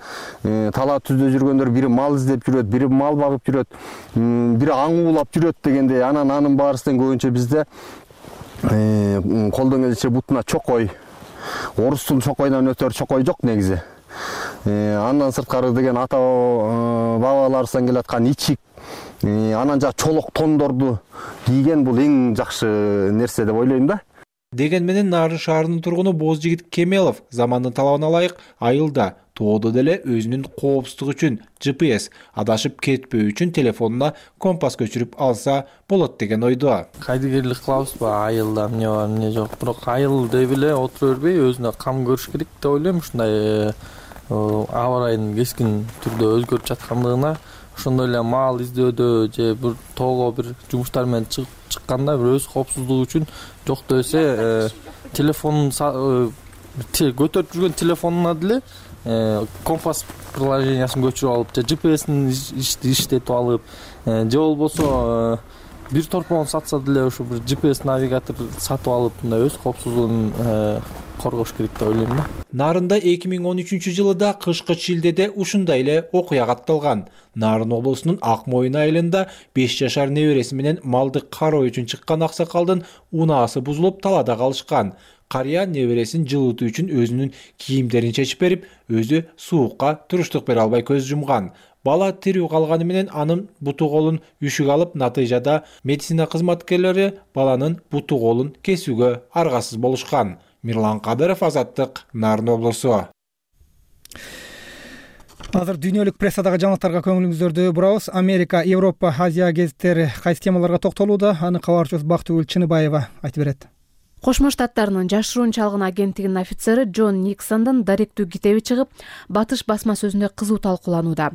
талаа түздө жүргөндөр бири мал издеп жүрөт, бири мал багып жүрөт, бири аң уулап жүрөт дегендей. Анан анын баарысынан көбүнчө бизде колдон келиши бутуна чокой, орустун чокойдон өтөр чокой жок негизи. Андан сырткары деген ата бабаларыбыздан келаткан ичик, анан жа чолок тондорду кийген бул эң жакшы нерсе деп ойлойм да. Деген менен Нарын шаарынын тургуну Бозжигит Кемелов замандын талабына ылайык айылда тоодо деле өзүнүн коопсуздугу үчүн Ж П С адашып кетпөө үчүн телефонуна компас көчүрүп алса болот деген ойдо. Кайдыгерлик кылабызбы айылда эмне бар, эмне жок. Бирок айыл деп эле отура бербей өзүнө кам көрүш керек деп ойлойм. Ушундай аба ырайынын кескин түрдө өзгөрүп жаткандыгына, ошондой эле мал издөөдө же бир тоого бир жумуштар менен чыкканда бир өз коопсуздугу үчүн жокто эсе телефонун көтөрүп жүргөн телефонуна деле компас приложениясын көчүрүп алып, же Ж П С'ин иштетип алып, же болбосо бир торпон сатса деле ошо бир Ж П С навигатор сатып алып, мындай өз коопсуздугун коргош керек деп ойлойм да. Нарында эки миң он үчүнчү жылыда кышкы шилдеде ушундай эле окуя катталган. Нарын облусунун Ак Моюн айылында беш жашар небереси менен малды кароо үчүн чыккан аксакалдын унаасы бузулуп талаада калышкан. Карыя небересин жылытуу үчүн өзүнүн кийимдерин чечип берип, өзү суукка туруштук бере албай көз жумган. Бала тирүү калганы менен анын буту колун үшүк алып, натыйжада медицина кызматкерлери баланын буту колун кесүүгө аргасыз болушкан. Мирлан Кадыров, Азаттык, Нарын облусу. Азыр дүйнөлүк прессадагы жаңылыктарга көңүлүңүздөрдү бурабыз. Америка, Европа, Азия гезиттери кайсы темаларга токтолууда? Аны кабарчыбыз Бактыгүл Чыныбаева айтып берет. Кошмо Штаттарынын жашыруун чалгын агенттигинин офицери Джон Никсондун даректүү китеби чыгып, Батыш басма сөзүндө кызуу талкууланууда.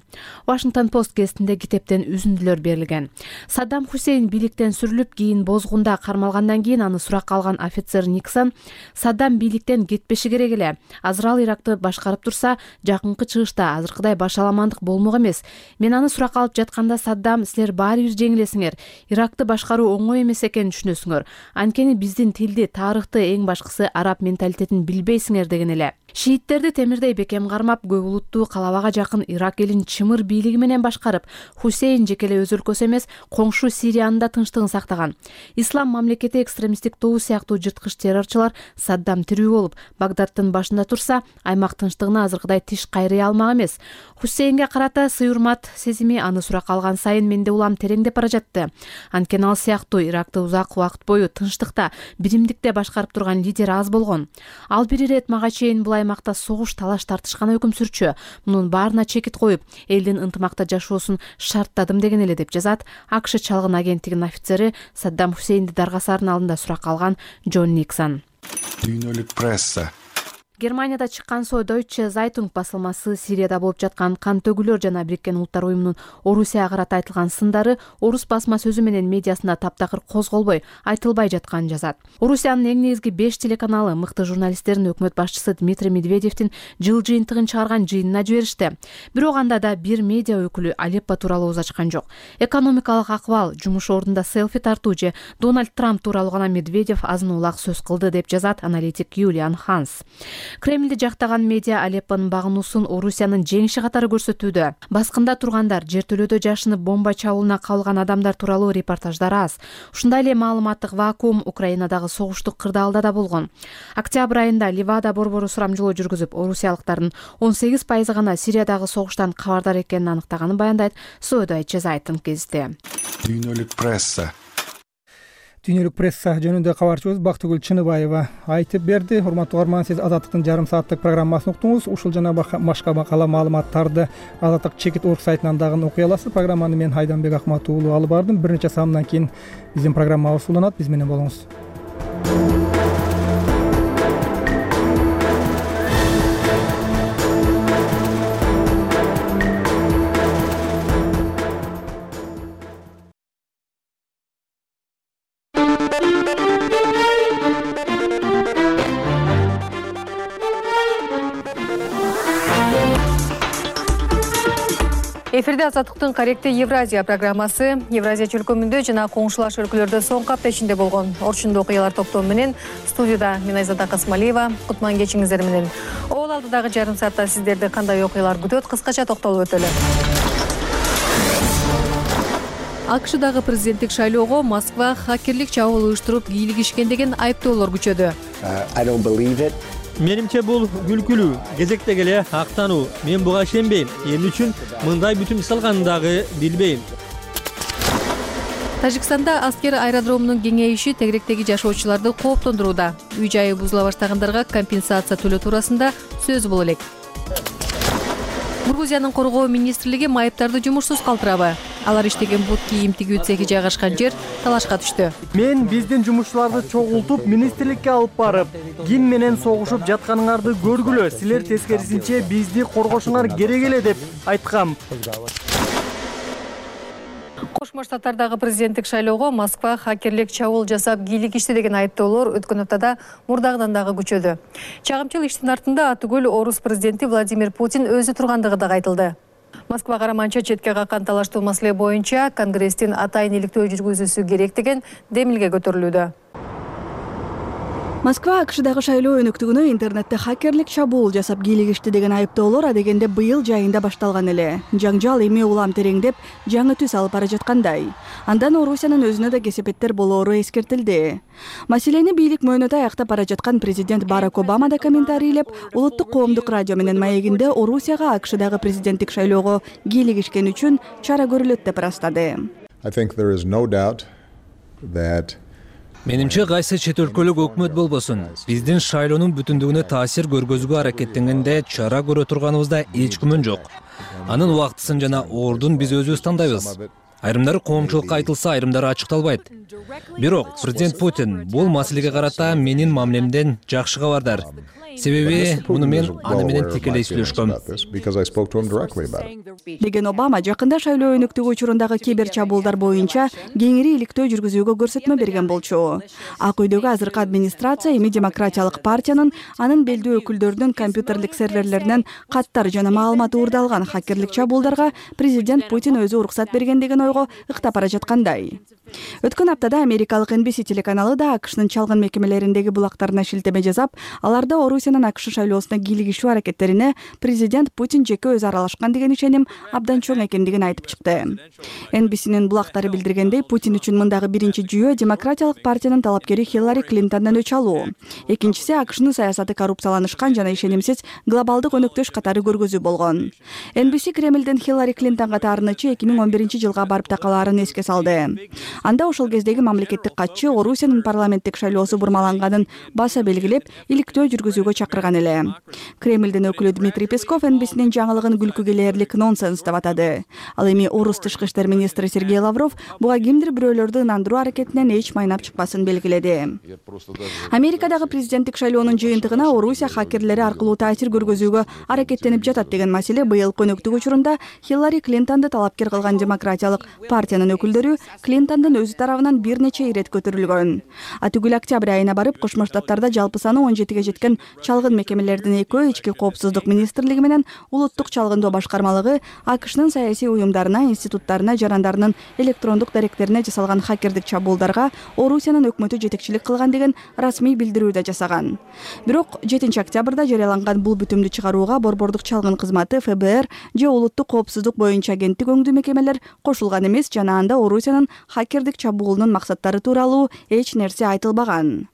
Washington Post гезитинде китептен үзүндүлөр берилген. Саддам Хусейн бийликтен сүрүлүп, кийин бозгунда кармалгандан кийин аны суракка алган офицер Никсон Саддам бийликтен кетпеши керек эле. Азыр ал Иракты башкарып турса, жакынкы чыгышта азыркыдай башаламандык болмок эмес. Мен аны суракка алып жатканда Саддам, силер баары бир жеңилесиңер. Иракты башкаруу оңой эмес экенин түшүнөсүңөр. Анткени биздин тилди, тарыхты, эң башкысы араб менталитетин билбейсиңер деген эле. Шииттерди темирдей бекем кармап, көп улуттуу калабага жакын Ирак элин чымыр бийлиги менен башкарып, Хусейн жекеле өз өлкөсү эмес, коңшу Сириянын да тынчтыгын сактаган. Ислам мамлекети экстремисттик тобу сыяктуу жырткыч террорчулар Саддам тирүү болуп, Багдадтын башында турса, аймак тынчтыгына азыркыдай тиш кайрый алмак эмес. Хусейнге карата сый-урмат сезими аны суракка алган сайын менде улам тереңдеп бара жатты. Анткени ал сыяктуу Иракты узак убакыт бою тынчтыкта, биримдикте башкарып турган лидер аз болгон. Ал бир ирет мага чейин бул аймакта согуш, талаш тартышкан өкүм сүрчү. Мунун баарына чекит коюп, элдин ынтымакта жашоосун шарттадым деген эле деп жазат А К Ш чалгын агенттигинин офицери Саддам Хусейнди даргасарынын алдында суракка алган Джон Никсон. Дүйнөлүк пресса. Германияда чыккан Deutsche Zeitung басылмасы Сирияда болуп жаткан кан төгүлөр жана Бириккен Улуттар Уюмунун Орусияга карата айтылган сындары орус басма сөзү менен медиасында таптакыр козголбой, айтылбай жатканын жазат. Орусиянын эң негизги беш телеканалы мыкты журналисттерин өкмөт башчысы Дмитрий Медведевдин жыл жыйынтыгын чыгарган жыйынына жиберишти. Бирок анда да бир медиа өкүлү Алеппо тууралуу ооз ачкан жок. Экономикалык акыбал, жумуш ордунда селфи тартуу же Дональд Трамп тууралуу гана Медведев азын улак сөз кылды деп жазат аналитик Юлиан Ханс. Кремлди жактаган медиа Алеппонун багынуусун Орусиянын жеңиши катары көрсөтүүдө. Баскында тургандар, жертөлөдө жашынып бомба чабуулуна калган адамдар тууралуу репортаждар аз. Ушундай эле маалыматтык вакуум Украинадагы согуштук кырдаалда да болгон. Октябрь айында Ливада борбору сурамжылоо жүргүзүп, орусиялыктардын он сегиз пайызы гана Сириядагы согуштан кабардар экенин аныктаганын баяндайт Соодай Чезайтын кезите. Дүйнөлүк пресса Дүйнөлүк пресса жөнүндө кабарчыбыз Бактыгүл Чыныбаева айтып берди. Урматтуу угарман, сиз Азаттыктын жарым сааттык программасын уктуңуз. Ушул жана башка макала маалыматтарды Азаттык чекит орг сайтынан дагы окуй аласыз. Программаны мен Айданбек Акмат уулу алып бардым. Бир нече саамдан кийин биздин программабыз уланат. Биз менен болуңуз. Эфирде Азаттыктын Каректи Евразия программасы. Евразия чөлкөмүндө жана коңшулаш өлкөлөрдө соңку апта ичинде болгон орчундуу окуялар топтому менен студияда мен Айзада Касмалиева. Кутман кечиңиздер менен. Ол алдыдагы жарым саатта сиздерди кандай окуялар күтөт, кыскача токтолуп өтөлү. АКШдагы президенттик шайлоого Москва хакерлик чабуул уюштуруп кийлигишкен деген айыптоолор күчөдү. Менимче бул күлкүлүү, кезектеги эле актануу. Мен буга ишенбейм. Эмне үчүн мындай бүтүн салганын дагы билбейм. Тажикстанда аскер аэродромунун кеңейиши тегеректеги жашоочуларды кооптондурууда. Үй жайы бузула баштагандарга компенсация төлөө туурасында сөз боло элек. Грузиянын коргоо министрлиги майыптарды жумушсуз калтырабы? Алар иштеген бут кийим тигүү цехи жайгашкан жер талашка түштү. Мен биздин жумушчуларды чогултуп, министрликке алып барып, ким менен согушуп жатканыңарды көргүлө. Силер тескерисинче бизди коргошуңар керек эле деп айткам. Кошмо Штаттардагы президенттик шайлоого Москва хакерлик чабуул жасап кийлигишти деген айыптоолор өткөн аптада мурдагыдан дагы күчөдү. Чагымчыл иштин артында атүгүл орус президенти Владимир Путин өзү тургандыгы дагы айтылды. Москва караманча четке каккан талаштуу маселе боюнча Конгресстин атайын иликтөө жүргүзүүсү керек деген демилге көтөрүлүүдө. Москва АКШдагы шайлоо өнөктүгүнө интернетте хакерлик чабуул жасап кийлигишти деген айыптоолор адегенде быйыл жайында башталган эле. Жаңжал эми улам тереңдеп, жаңы түс алып бара жаткандай. Андан Орусиянын өзүнө да кесепеттер болоору эскертилди. Маселени бийлик мөөнөтө аяктап бара жаткан президент Барак Обама да комментарийлеп, улуттук коомдук радио менен маегинде Орусияга АКШдагы президенттик шайлоого кийлигишкен үчүн чара көрүлөт деп ырастады. Менимче кайсы чет өлкөлүк өкмөт болбосун, биздин шайлоонун бүтүндүгүнө таасир көргөзүүгө аракеттенгенде чара көрө турганыбызда эч күмөн жок. Анын убактысын жана ордун биз өзүбүз тандайбыз. Айрымдары коомчулукка айтылса, айрымдары ачыкталбайт. Бирок президент Путин бул маселеге карата менин мамилемден жакшы кабардар. Себеби муну мен аны менен тикелей сүйлөшкөм. Деген Обама жакында шайлоо өнөктүгү учурундагы кибер чабуулдар боюнча кеңири иликтөө жүргүзүүгө көрсөтмө берген болчу. Ак үйдөгү азыркы администрация эми демократиялык партиянын анын белдүү өкүлдөрүнүн компьютерлик серверлеринен каттар жана маалымат уурдалган хакерлик чабуулдарга президент Путин өзү уруксат берген деген ойго ыктап бара жаткандай. Өткөн аптада америкалык Эн Би Си телеканалы да АКШнын чалгын мекемелериндеги булактарына шилтеме жасап, аларда Орусиянын АКШ шайлоосуна кийлигишүү аракеттерине президент Путин жеке өзү аралашкан деген ишеним абдан чоң экендигин айтып чыкты. Эн Би Синин булактары билдиргендей, Путин үчүн мындагы биринчи жүйө демократиялык партиянын талапкери Хиллари Клинтондон өч алуу. Экинчиси АКШнын саясаты коррупцияланышкан жана ишенимсиз глобалдык өнөктөш катары көргөзүү болгон. Эн Би Си Кремлден Хиллари Клинтонго таарынычы эки миң он биринчи жылга барып такалаарын эске салды. Анда ошол кездеги мамлекеттик катчы Орусиянын парламенттик шайлоосу бурмаланганын баса белгилеп, иликтөө жүргүзүүгө чакырган эле. Кремлдин өкүлү Дмитрий Песков Эн Би Синин жаңылыгын күлкүгө ээрлик нонсенс деп атады. Ал эми орус тышкы иштер министри Сергей Лавров буга кимдир бирөөлөрдү ынандыруу аракетинен эч майнап чыкпасын белгиледи. Америкадагы президенттик шайлоонун жыйынтыгына Орусия хакерлери аркылуу таасир көргөзүүгө аракеттенип жатат деген маселе быйылкы өнөктүк учурунда Хиллари Клинтонду талапкер кылган демократиялык партиянын өкүлдөрү Клинтондун өзү тарабынан бир нече ирет көтөрүлгөн. Атүгүл октябрь айына барып Кошмо Штаттарда жалпы саны он жетиге жеткен чалгын мекемелердин экөө ички коопсуздук министрлиги менен улуттук чалгындоо башкармалыгы АКШнын саясий уюмдарына, институттарына, жарандарынын электрондук даректерине жасалган хакердик чабуулдарга Орусиянын өкмөтү жетекчилик кылган деген расмий билдирүү да жасаган. Бирок жетинчи октябрда жарыяланган бул бүтүмдү чыгарууга борбордук чалгын кызматы, ФБР же улуттук коопсуздук боюнча агенттик өңдүү мекемелер кошулган эмес жана анда Орусиянын хакердик чабуулунун максаттары тууралуу эч нерсе айтылбаган.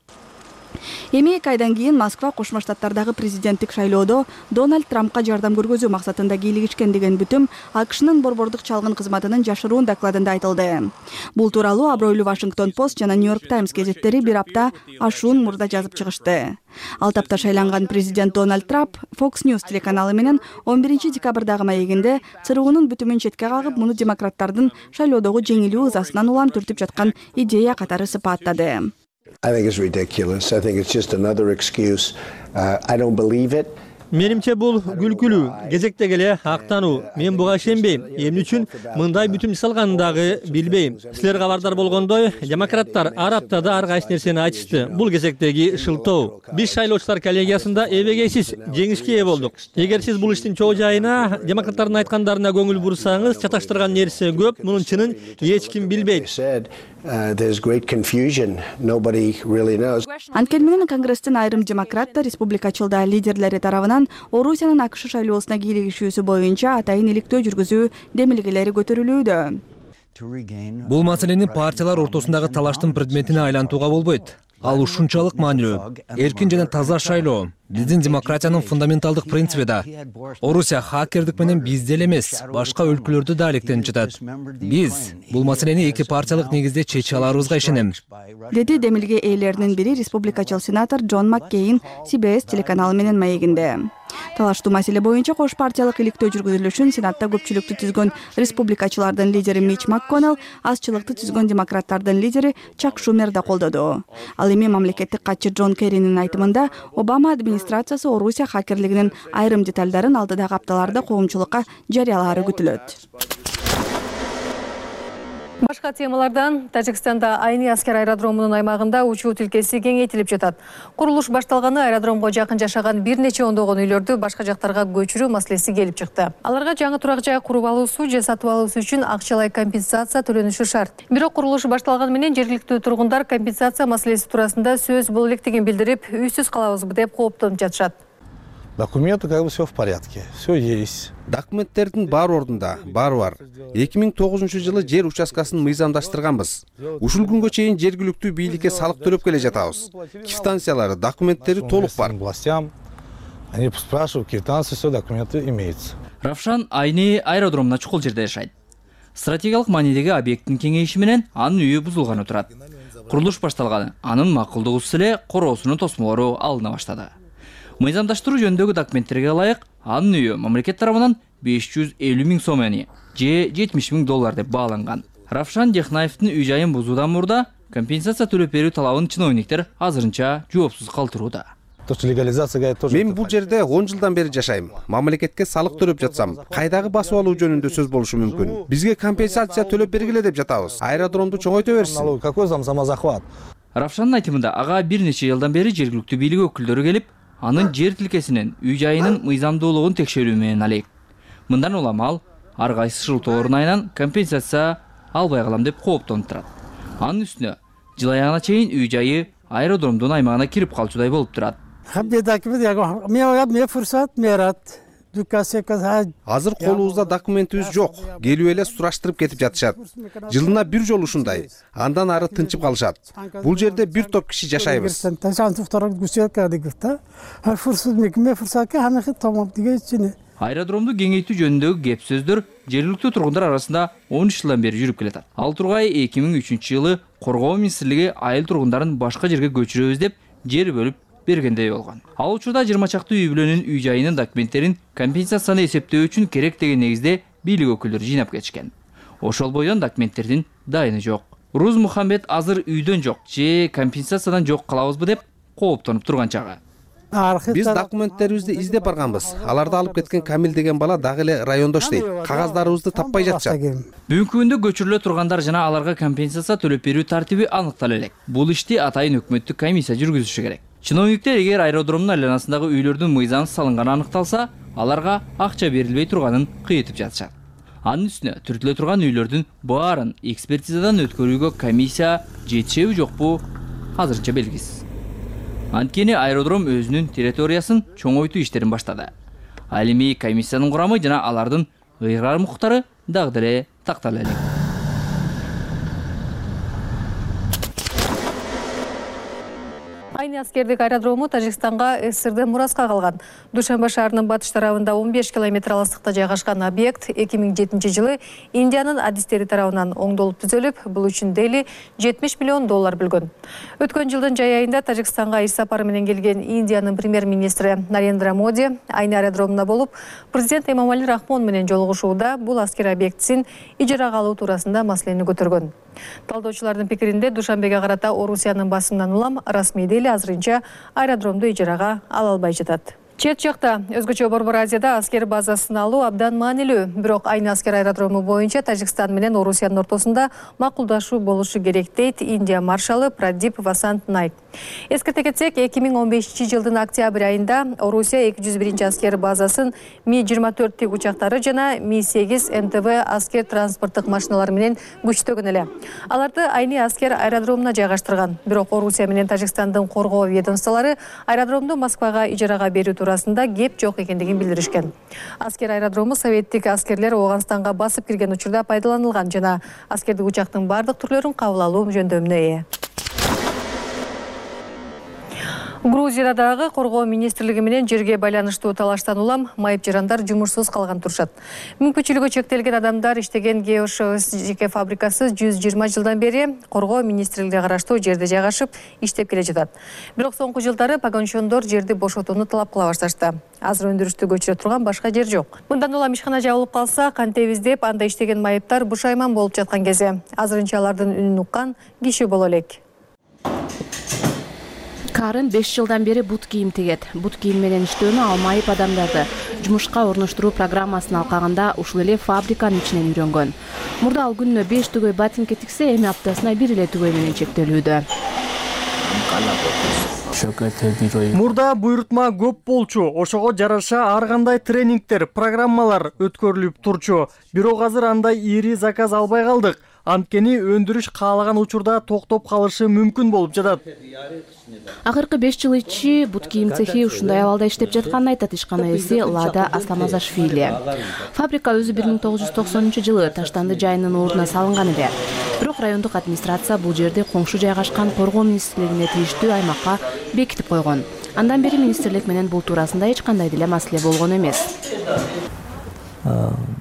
Эми эки айдан кийин Москва Кошмо Штаттардагы президенттик шайлоодо Дональд Трампка жардам көргөзүү максатында кийлигишкен деген бүтүм АКШнын борбордук чалгын кызматынын жашыруун докладында айтылды. Бул тууралуу абройлуу Вашингтон Пост жана Нью-Йорк Таймс гезеттери бир апта ашуун мурда жазып чыгышты. Ал тапта шайланган президент Дональд Трамп Fox News телеканалы менен он биринчи декабрдагы маегинде ЦРУнун бүтүмүн четке кагып, муну демократтардын шайлоодогу жеңилүү ызасынан улам түртүп жаткан идея катары сыпаттады. I think it's ridiculous. I think it's just another excuse. Uh, I don't believe it. Менимче бул күлкүлүү, кезектеги эле актануу. Мен буга ишенбейм. Эмне үчүн мындай бүтүм жасалганын дагы билбейм. Силер кабардар болгондой, демократтар ар аптада ар кайсы нерсени айтышты. Бул кезектеги шылтоо. Биз шайлоочулар коллегиясында эбегейсиз жеңишке ээ болдук. Эгер сиз бул иштин чоо жайына, демократтардын айткандарына көңүл бурсаңыз, чаташтырган нерсе көп, мунун чынын эч ким билбейт. Uh, there's great confusion. Nobody really knows. Анткени менен Конгресстин айрым демократтар, республикачылдар лидерлери тарабынан Орусиянын АКШ шайлоосуна кийлигишүүсү боюнча атайын иликтөө жүргүзүү демилгелери көтөрүлүүдө. Бул маселени партиялар ортосундагы талаштын предметине айлантууга болбойт. Ал ушунчалык маанилүү. Эркин жана таза шайлоо биздин демократиянын фундаменталдык принциби да. Орусия хакердик менен бизде эле эмес, башка өлкөлөрдө да алектенип жатат. Биз бул маселени эки партиялык негизде чече аларыбызга ишенем, деди демилге ээлеринин бири республикачыл сенатор Джон Маккейн Си Би Эс телеканалы менен маегинде. Талаштуу маселе боюнча кош партиялык иликтөө жүргүзүлүшүн Сенатта көпчүлүктү түзгөн республикачылардын лидери Мич МакКоннелл, азчылыкты түзгөн демократтардын лидери Чак Шумер да колдоду. Ал эми мамлекеттик катчы Джон Керринин айтымында Обама администрациясы Орусия хакерлигинин айрым деталдарын алдыдагы апталарда коомчулукка жарыялаары күтүлөт. Башка темалардан Тажикстанда Айни аскер аэродромунун аймагында учуу тилкеси кеңейтилип жатат. Курулуш башталганы аэродромго жакын жашаган бир нече ондогон үйлөрдү башка жактарга көчүрүү маселеси келип чыкты. Аларга жаңы турак жай куруп алуусу же сатып алуусу үчүн акчалай компенсация төлөнүшү шарт. Бирок курулуш башталганы менен жергиликтүү тургундар компенсация маселеси туурасында сөз боло электигин билдирип, үйсүз калабызбы деп кооптонуп жатышат. Документы как бы все в порядке, все есть. Документтердин бар ордунда, баары бар. эки миң тогузунчу жылы жер участкасын мыйзамдаштырганбыз. Ушул күнгө чейин жергиликтүү бийликке салык төлөп келе жатабыз. Квитанциялары, документтери толук бар. Властям они спрашивают, квитанции, все документы имеются. Равшан Айни аэродромуна чукул жерде жашайт. Стратегиялык маанидеги объекттин кеңейиши менен анын үйү бузулганы турат. Курулуш башталган, анын макулдугусу эле короосунун тосмолору алына баштады. Мыйзамдаштыруу жөнүндөгү документтерге ылайык анын үйү мамлекет тарабынан беш жүз элүү миң сомени же жетимиш миң доллар деп бааланган. Равшан Дехнаевдин үй жайын бузуудан мурда компенсация төлөп берүү талабын чиновниктер азырынча жоопсуз калтырууда. Мен бул жерде он жылдан бери жашайм. Мамлекетке салык төлөп жатсам, кайдагы басып алуу жөнүндө сөз болушу мүмкүн. Бизге компенсация төлөп бергиле деп жатабыз. Аэродромду чоңойто берсин. Какой самозахват? Равшандын айтымында ага бир нече жылдан бери жергиликтүү бийлик өкүлдөрү келип, анын жер тилкесинин үй жайынын мыйзамдуулугун текшерүү менен алек. Мындан улам ал ар кайсы шылтоо орнайынан компенсация албай калам деп кооптонуп турат. Анын үстүнө жыл аягына чейин үй жайы аэродромдун аймагына кирип калчудай болуп турат. Азыр колубузда документибиз жок. Келип эле сураштырып кетип жатышат. Жылына бир жолу ушундай. Андан ары тынчып калышат. Бул жерде бир топ киши жашайбыз. Аэродромду кеңейтүү жөнүндөгү кеп сөздөр жергиликтүү тургундар арасында он үч жылдан бери жүрүп келет. Ал тургай эки миң үчүнчү жылы Коргоо министрлиги айыл тургундарын башка жерге көчүрөбүз деп жер бөлүп бергендей болгон. Ал учурда жыйырма чакты үй бүлөнүн үй жайынын документтерин компенсацияны эсептөө үчүн керек деген негизде бийлик өкүлдөрү жыйнап кетишкен. Ошол бойдон документтердин дайыны жок. Руз Мухаммед азыр үйдөн жок же компенсациядан жок калабызбы деп кооптонуп турган чагы. Биз документтерибизди издеп барганбыз. Аларды алып кеткен Камил деген бала дагы эле райондо иштейт. Кагаздарыбызды таппай жатышат. Бүгүнкү күндө көчүрүлө тургандар жана аларга компенсация төлөп берүү тартиби аныктала элек. Бул ишти атайын өкмөттүк комиссия жүргүзүшү керек. Чиновниктер эгер аэродромдун айланасындагы үйлөрдүн мыйзамсыз салынганы аныкталса, аларга акча берилбей турганын кыйытып жатышат. Анын үстүнө түртүлө турган үйлөрдүн баарын экспертизадан өткөрүүгө комиссия жетишеби жокпу азырынча белгисиз. Анткени аэродром өзүнүн территориясын чоңойтуу иштерин баштады. Ал эми комиссиянын курамы жана алардын ыйгарым укуктары дагы деле тактала элек. Айны аскердик аэродрому Тажикстанга СССРден мураска калган. Душанбе шаарынын батыш тарабында он беш километр алыстыкта жайгашкан объект эки миң жетинчи жылы Индиянын адистери тарабынан оңдолуп түзөлүп, бул үчүн Дели жетимиш миллион доллар бөлгөн. Өткөн жылдын жай айында Тажикстанга иш сапары менен келген Индиянын премьер-министри Нарендра Моди Айны аэродромуна болуп, президент Эмомали Рахмон менен жолугушууда бул аскер объектисин ижарага алуу туурасында маселени көтөргөн. Талдоочулардын пикиринде Душанбеге карата Орусиянын басымынан улам расмий Дели азырынча аэродромду ижарага ала албай жатат. Чет жакта өзгөчө Борбор Азияда аскер базасын алуу абдан маанилүү. Бирок Айны аскер аэродрому боюнча Тажикстан менен Орусиянын ортосунда макулдашуу болушу керек дейт Индия маршалы Прадип Васант Найк. Эскерте кетсек, эки миң он бешинчи жылдын октябрь айында Орусия эки жүз биринчи аскер базасын Ми жыйырма төрт тик учактары жана Ми сегиз М Т В аскер транспорттук машиналары менен күчтөгөн эле. Аларды Айны аскер аэродромуна жайгаштырган. Бирок Орусия менен Тажикстандын коргоо ведомстволору аэродромду Москвага ижарага берүү туурасында кеп жок экендигин билдиришкен. Аскер аэродрому советтик аскерлер Ооганстанга басып кирген учурда пайдаланылган жана аскердик учактын бардык түрлөрүн кабыл алуу жөндөмүнө ээ. Грузияда дагы коргоо министрлиги менен жерге байланыштуу талаштан улам майып жарандар жумушсуз калган турушат. Мүмкүнчүлүгү чектелген адамдар иштеген Геошос жеке фабрикасы жүз жыйырма жылдан бери коргоо министрлигине караштуу жерде жайгашып иштеп келе жатат. Бирок соңку жылдары погончондор жерди бошотууну талап кыла башташты. Азыр өндүрүштү көчүрө турган башка жер жок. Мындан улам ишкана жабылып калса, кантебиз деп анда иштеген майыптар бушайман болуп жаткан кезде азырынча алардын үнүн уккан киши боло элек. Карын беш жылдан бери бут кийим тигет. Бут кийим менен иштөөнү ал майып адамдарды жумушка орноштуруу программасын алкаганда ушул эле фабриканын ичинен үйрөнгөн. Мурда ал күнүнө беш түгөй ботинке тиксе, эми аптасына бир эле түгөй менен чектелүүдө. Мурда буйрутма көп болчу, ошого жараша ар кандай тренингдер, программалар өткөрүлүп турчу. Бирок азыр андай ири заказ албай калдык. Анткени өндүрүш каалаган учурда токтоп калышы мүмкүн болуп жатат. Акыркы беш жыл ичи бут кийим цехи ушундай абалда иштеп жатканын айтат ишкана ээси Лада Асламазашвили. Фабрика өзү бир миң тогуз жүз токсонунчу жылы Таштанды жайынын ордуна салынган эле. Бирок райондук администрация бул жерди коңшу жайгашкан коргоо министрлигине тийиштүү аймакка бекитип койгон. Андан бери министрлик менен бул туурасында эч кандай деле маселе болгон эмес.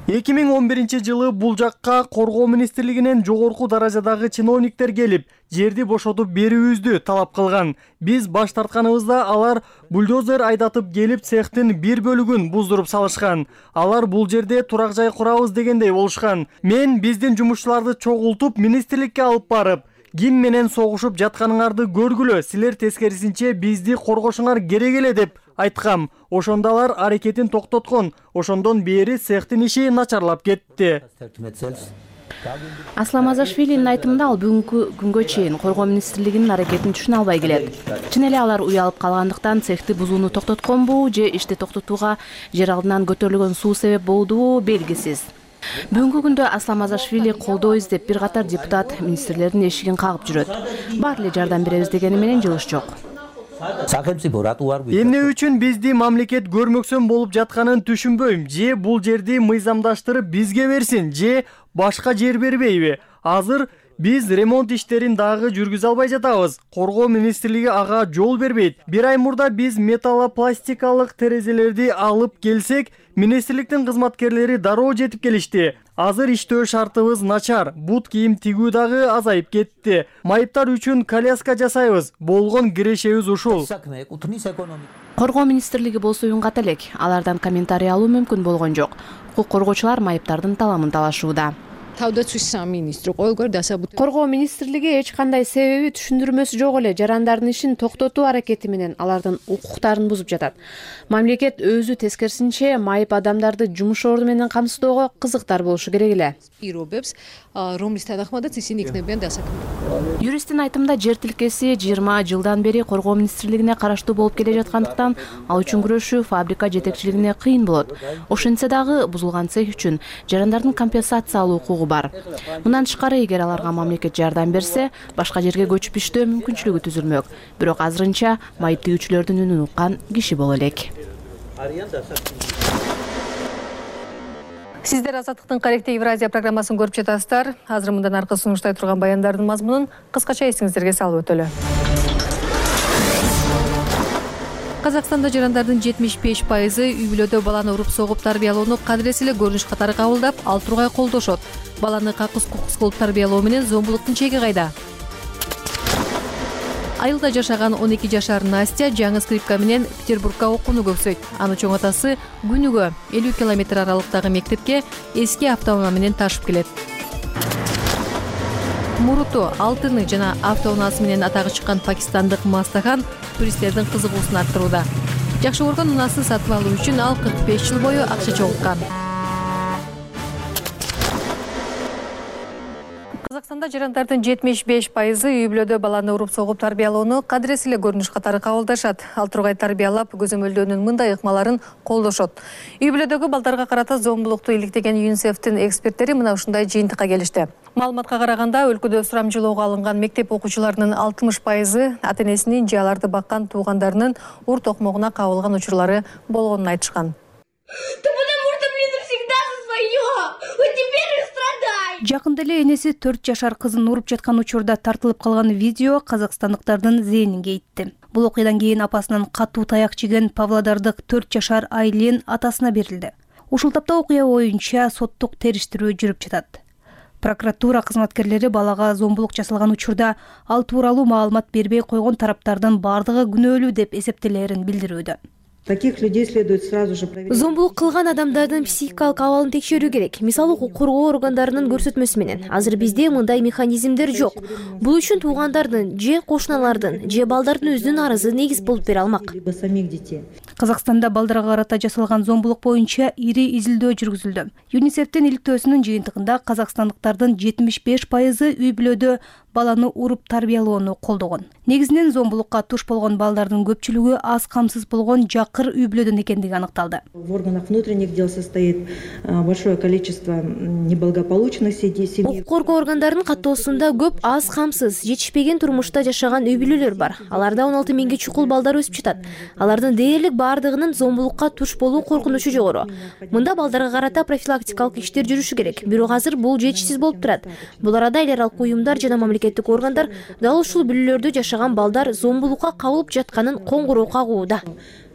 эки миң он биринчи жылы бул жакка коргоо министрлигинен жогорку даражадагы чиновниктер келип, жерди бошотуп берүүбүздү талап кылган. Биз баш тартканыбызда алар бульдозер айдатып келип цехтин бир бөлүгүн буздуруп салышкан. Алар бул жерде турак жай курабыз дегендей болушкан. Мен биздин жумушчуларды чогултуп министрликке алып барып, ким менен согушуп жатканыңарды көргүлө, силер тескерисинче бизди коргошуңар керек эле деп айткам. Ошондо алар аракетин токтоткон. Ошондон бери цехтин иши начарлап кетти. Асламазашвилинин айтымында ал бүгүнкү күнгө чейин коргоо министрлигинин аракетин түшүнө албай келет. Чын эле алар уялып калгандыктан цехти бузууну токтотконбу же ишти токтотууга жер алдынан көтөрүлгөн суу себеп болдубу белгисиз. Бүгүнкү күндө Асламазашвили колдоо издеп бир катар депутат министрлердин эшигин кагып жүрөт. Баары эле жардам беребиз дегени менен жылыш жок. Эмне үчүн бизди мамлекет көрмөксөн болуп жатканын түшүнбөйм. Же бул жерди мыйзамдаштырып бизге берсин, же башка жер бербейби? Азыр биз ремонт иштерин дагы жүргүзө албай жатабыз. Коргоо министрлиги ага жол бербейт. Бир ай мурда биз металлопластикалык терезелерди алып келсек, министрликтин кызматкерлери дароо жетип келишти. Азыр иштөө шартыбыз начар. Бут кийим тигүү дагы азайып кетти. Майыптар үчүн коляска жасайбыз. Болгон кирешебиз ушул. Коргоо министрлиги болсо уюнгат элек. Алардан комментарий алуу мүмкүн болгон жок. Укук коргоочулар майыптардын таламын талашууда. Коргоо министрлиги эч кандай себеби түшүндүрмөсү жок эле жарандардын ишин токтотуу аракети менен алардын укуктарын бузуп жатат. Мамлекет өзү тескерисинче майып адамдарды жумуш орду менен камсыздоого кызыктар болушу керек эле. Юристтин айтымында жер тилкеси жыйырма жылдан бери коргоо министрлигине караштуу болуп келе жаткандыктан ал үчүн күрөшүү фабрика жетекчилигине кыйын болот. Ошентсе дагы бузулган цех үчүн жарандардын компенсация алуу укугу бар. Мындан тышкары эгер аларга мамлекет жардам берсе, башка жерге көчүп иштөө мүмкүнчүлүгү түзүлмөк. Бирок азырынча майып тийүүчүлөрдүн үнүн уккан киши боло элек. Сиздер Азаттыктын Каректе Евразия программасын көрүп жатасыздар. Азыр мындан аркы сунуштай турган баяндардын мазмунун кыскача эсиңиздерге салып өтөлү. Казакстанда жарандардын жетимиш беш пайызы үй бүлөдө баланы уруп согуп тарбиялоону кадырес эле көрүнүш катары кабылдап, ал тургай колдошот. Баланы какыс кукус кылып тарбиялоо менен зомбулуктун чеги кайда? Айылда жашаган он эки жашар Настя жаңы скрипка менен Петербургга окууну көксөйт. Анын чоң атасы күнүгө элүү километр аралыктагы мектепке эски автоунаа менен ташып келет. Муруту, алтыны жана автоунаасы менен атагы чыккан пакистандык Мастахан туристтердин кызыгуусун арттырууда. Жакшы көргөн унаасы сатып алуу үчүн ал кырк беш жыл бою акча чогулткан. Казакстанда жарандардын жетимиш беш пайызы үй бүлөдө баланы уруп согуп тарбиялоону кадырес эле көрүнүш катары кабылдашат. Ал тургай тарбиялап, көзөмөлдөөнүн мындай ыкмаларын колдошот. Үй бүлөдөгү балдарга карата зомбулукту иликтеген ЮНИСЕФтин эксперттери мына ушундай жыйынтыкка келишти. Маалыматка караганда, өлкөдө сурамжылоого алынган мектеп окуучуларынын алтымыш пайызы ата-энесинин же аларды баккан туугандарынын ур токмогуна кабылган учурлары болгонун айтышкан. Жакында эле энеси төрт жашар кызын уруп жаткан учурда тартылып калган видео казакстандыктардын зээнинге итти. Бул окуядан кийин апасынан катуу таяк жеген павлодардык төрт жашар Айлен атасына берилди. Ушул тапта окуя боюнча соттук териштирүү жүрүп жатат. Прокуратура кызматкерлери балага зомбулук жасалган учурда ал тууралуу маалымат бербей койгон тараптардын бардыгы күнөөлүү деп эсептелерин билдирүүдө. Таких людей следует сразу же проверить. Зомбулук кылган адамдардын психикалык абалын текшерүү керек. Мисалы, укук коргоо органдарынын көрсөтмөсү менен. Азыр бизде мындай механизмдер жок. Бул үчүн туугандардын же кошуналардын же балдардын өзүнүн арызы негиз болуп бере алмак. Казакстанда балдарга карата жасалган зомбулук боюнча ири изилдөө жүргүзүлдү. ЮНИСЕФтин иликтөөсүнүн жыйынтыгында казакстандыктардын жетимиш беш пайызы үй бүлөдө баланы уруп тарбиялоону колдогон. Негизинен зомбулукка туш болгон балдардын көпчүлүгү аз камсыз болгон жакыр үй бүлөдөн экендиги аныкталды. В органах внутренних дел состоит большое количество неблагополучных семей. Укук коргоо органдарынын каттоосунда көп аз камсыз, жетишпеген турмушта жашаган үй бүлөлөр бар. Аларда он алты миңге чукул балдар өсүп жатат. Алардын дээрлик бардыгынын зомбулукка туш болуу коркунучу жогору. Мында балдарга карата профилактикалык иштер жүрүшү керек. Бирок азыр бул жетишсиз болуп турат. Бул арада эл аралык уюмдар жана мамлекеттик органдар дал ушул бүлөлөрдө жашаган балдар зомбулукка кабылып жатканын коңгуроо кагууда.